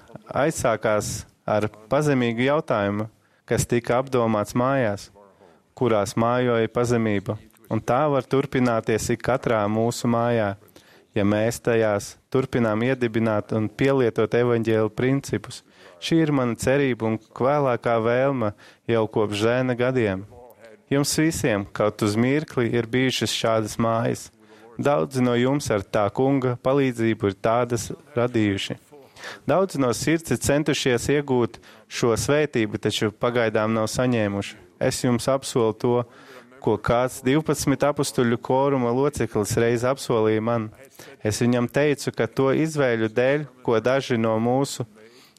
aizsākās ar pazemīgu jautājumu, kas tika apdomāts mājās, kurās mājoja pazemība, un tā var turpināties ik katrā mūsu mājā, ja mēs tajās turpinām iedibināt un pielietot evaņģēlija principus. Šī ir mana cerība un vēlākā vēlme jau kopš zēna gadiem. Jums visiem kaut uz mirkli ir bijušas šādas mājas. Daudzi no jums ar tā kunga palīdzību ir tādas radījuši. Daudzi no sirds ir centušies iegūt šo svētību, taču pagaidām nav saņēmuši. Es jums apsolu to, ko kāds 12 apustuļu kóruma loceklis reiz apsolīja man. Es viņam teicu, ka to izvēļu dēļ, ko daži no mūsu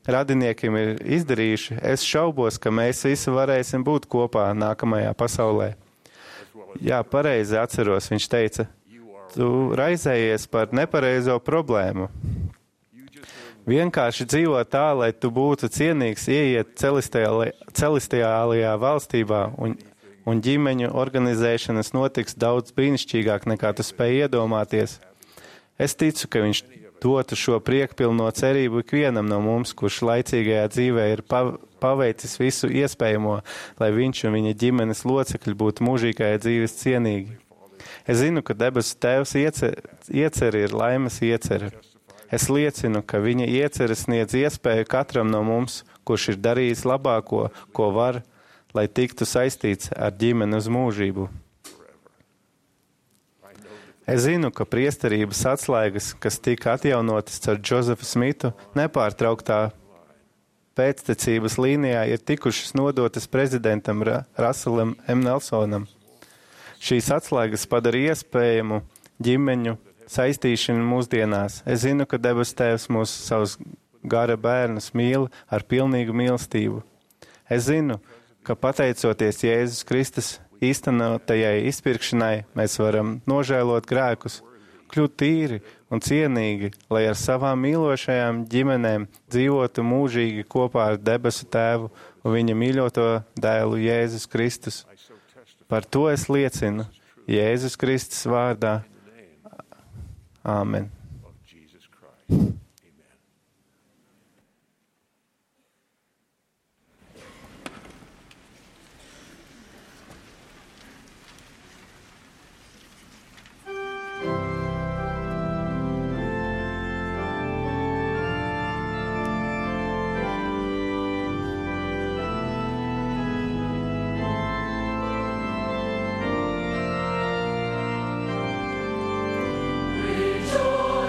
radiniekiem ir izdarījuši, es šaubos, ka mēs visi varēsim būt kopā nākamajā pasaulē. Jā, pareizi atceros, viņš teica, tu raizējies par nepareizo problēmu. Vienkārši dzīvo tā, lai tu būtu cienīgs ieiet celestiālajā valstībā un ģimeņu organizēšanas notiks daudz brīnišķīgāk nekā tu spēj iedomāties. Es ticu, ka viņš dotu šo priekpilno cerību ikvienam no mums, kurš laicīgajā dzīvē ir paveicis visu iespējamo, lai viņš un viņa ģimenes locekļi būtu mūžīgajā dzīves cienīgi. Es zinu, ka debesu Tēvs ieceri ir laimes ieceri. Es liecinu, ka viņa ieceres sniedz iespēju katram no mums, kurš ir darījis labāko, ko var, lai tiktu saistīts ar ģimeni uz mūžību. Es zinu, ka priesterības atslēgas, kas tika atjaunotas ar Džozefu Smitu, nepārtrauktā pēctecības līnijā ir tikušas nodotas prezidentam Russellam M. Nelsonam. Šīs atslēgas padara iespējamu ģimeņu saistīšanu mūsdienās. Es zinu, ka debes Tēvs mūs savus gara bērnus mīl ar pilnīgu mīlestību. Es zinu, ka pateicoties Jēzus Kristus īstenotajai izpirkšanai, mēs varam nožēlot grēkus, kļūt tīri un cienīgi, lai ar savām mīlošajām ģimenēm dzīvotu mūžīgi kopā ar debesu Tēvu un viņa mīļoto dēlu Jēzus Kristus. Par to es liecinu Jēzus Kristus vārdā. Āmen. Rejoice.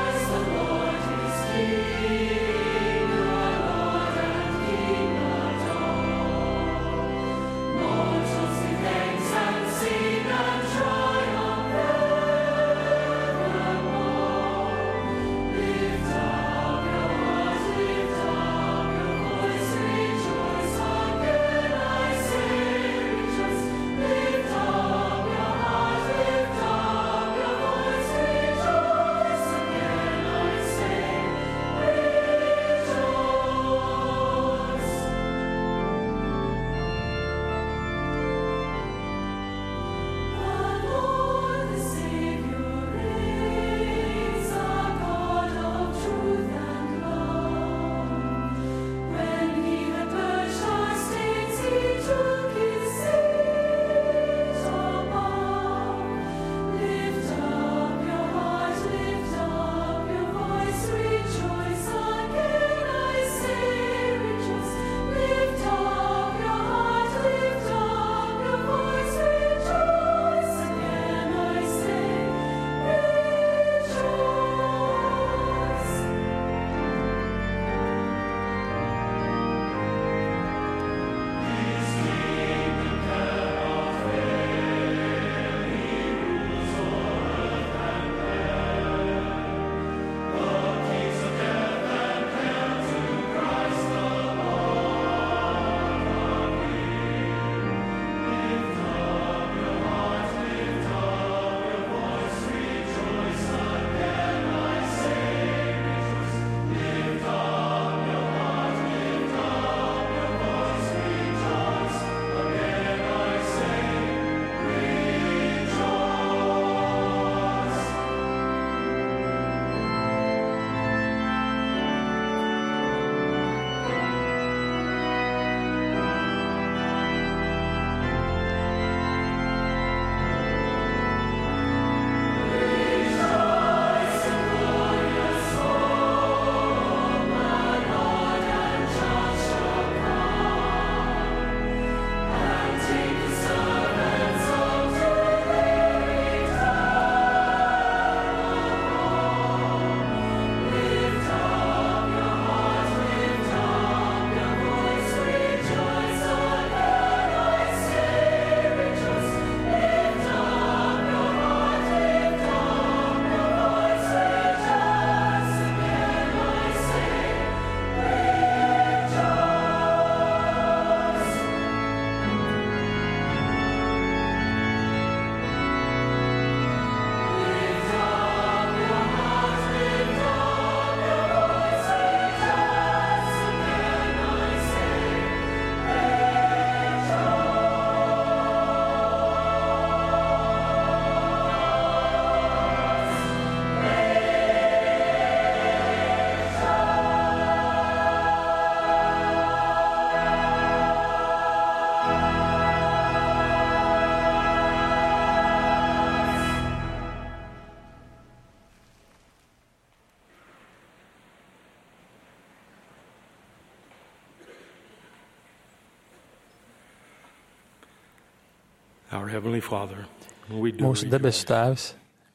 Mūsu debesu Tēvs,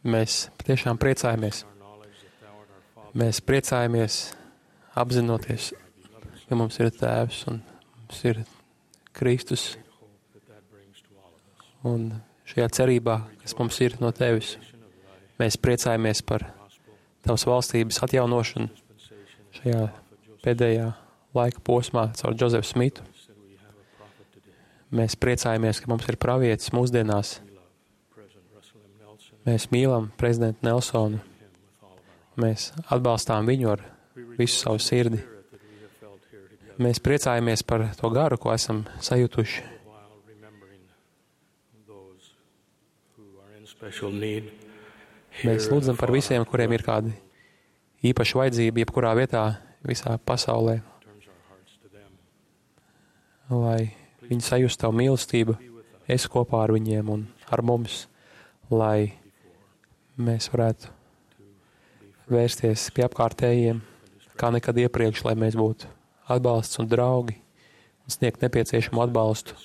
mēs patiešām priecājamies. Mēs priecājamies apzinoties, ka mums ir Tēvs un mums ir Kristus. Un šajā cerībā, kas mums ir no Tevis, mēs priecājamies par Tavas valstības atjaunošanu šajā pēdējā laika posmā caur Džozefu Smitu. Mēs priecājamies, ka mums ir pravietis mūsdienās. Mēs mīlam prezidentu Nelsonu. Mēs atbalstām viņu ar visu savu sirdi. Mēs priecājamies par to garu, ko esam sajutuši. Mēs lūdzam par visiem, kuriem ir kāda īpaša vajadzība, jebkurā vietā, visā pasaulē, lai viņi sajustu Tavu mīlestību, esi kopā ar viņiem un ar mums, lai mēs varētu vērsties pie apkārtējiem, kā nekad iepriekš, lai mēs būtu atbalsts un draugi un sniegt nepieciešamu atbalstu.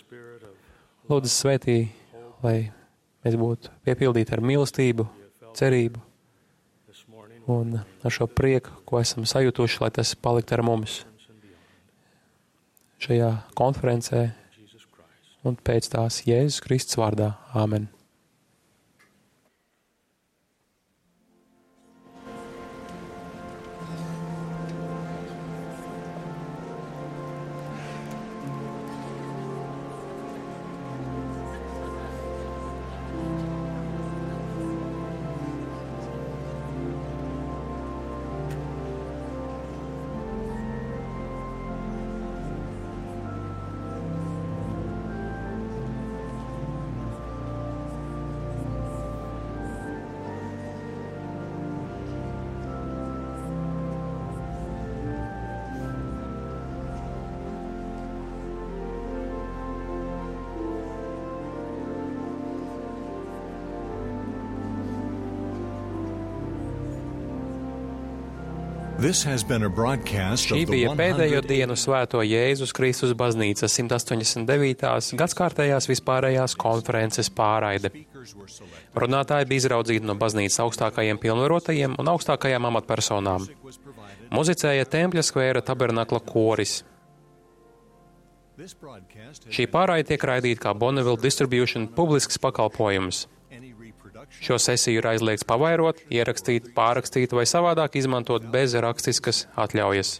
Lūdzu, svētī, lai mēs būtu piepildīti ar mīlestību, cerību un ar šo prieku, ko esam sajutuši, lai tas palikt ar mums šajā konferencē un pēc tās Jēzus Kristus vārdā. Āmen. Šī bija pēdējo dienu Svēto Jēzus Kristus baznīcas 189. gadskārtējās vispārējās konferences pārraide. Runātāji bija izraudzīti no baznīcas augstākajiem pilnvarotajiem un augstākajām amatpersonām. Muzicēja Tempļa skvēra tabernakla koris. Šī pārraide tiek raidīta kā Bonneville Distribution publisks pakalpojums. Šo sesiju ir aizliegts pavairot, ierakstīt, pārrakstīt vai savādāk izmantot bez rakstiskas atļaujas.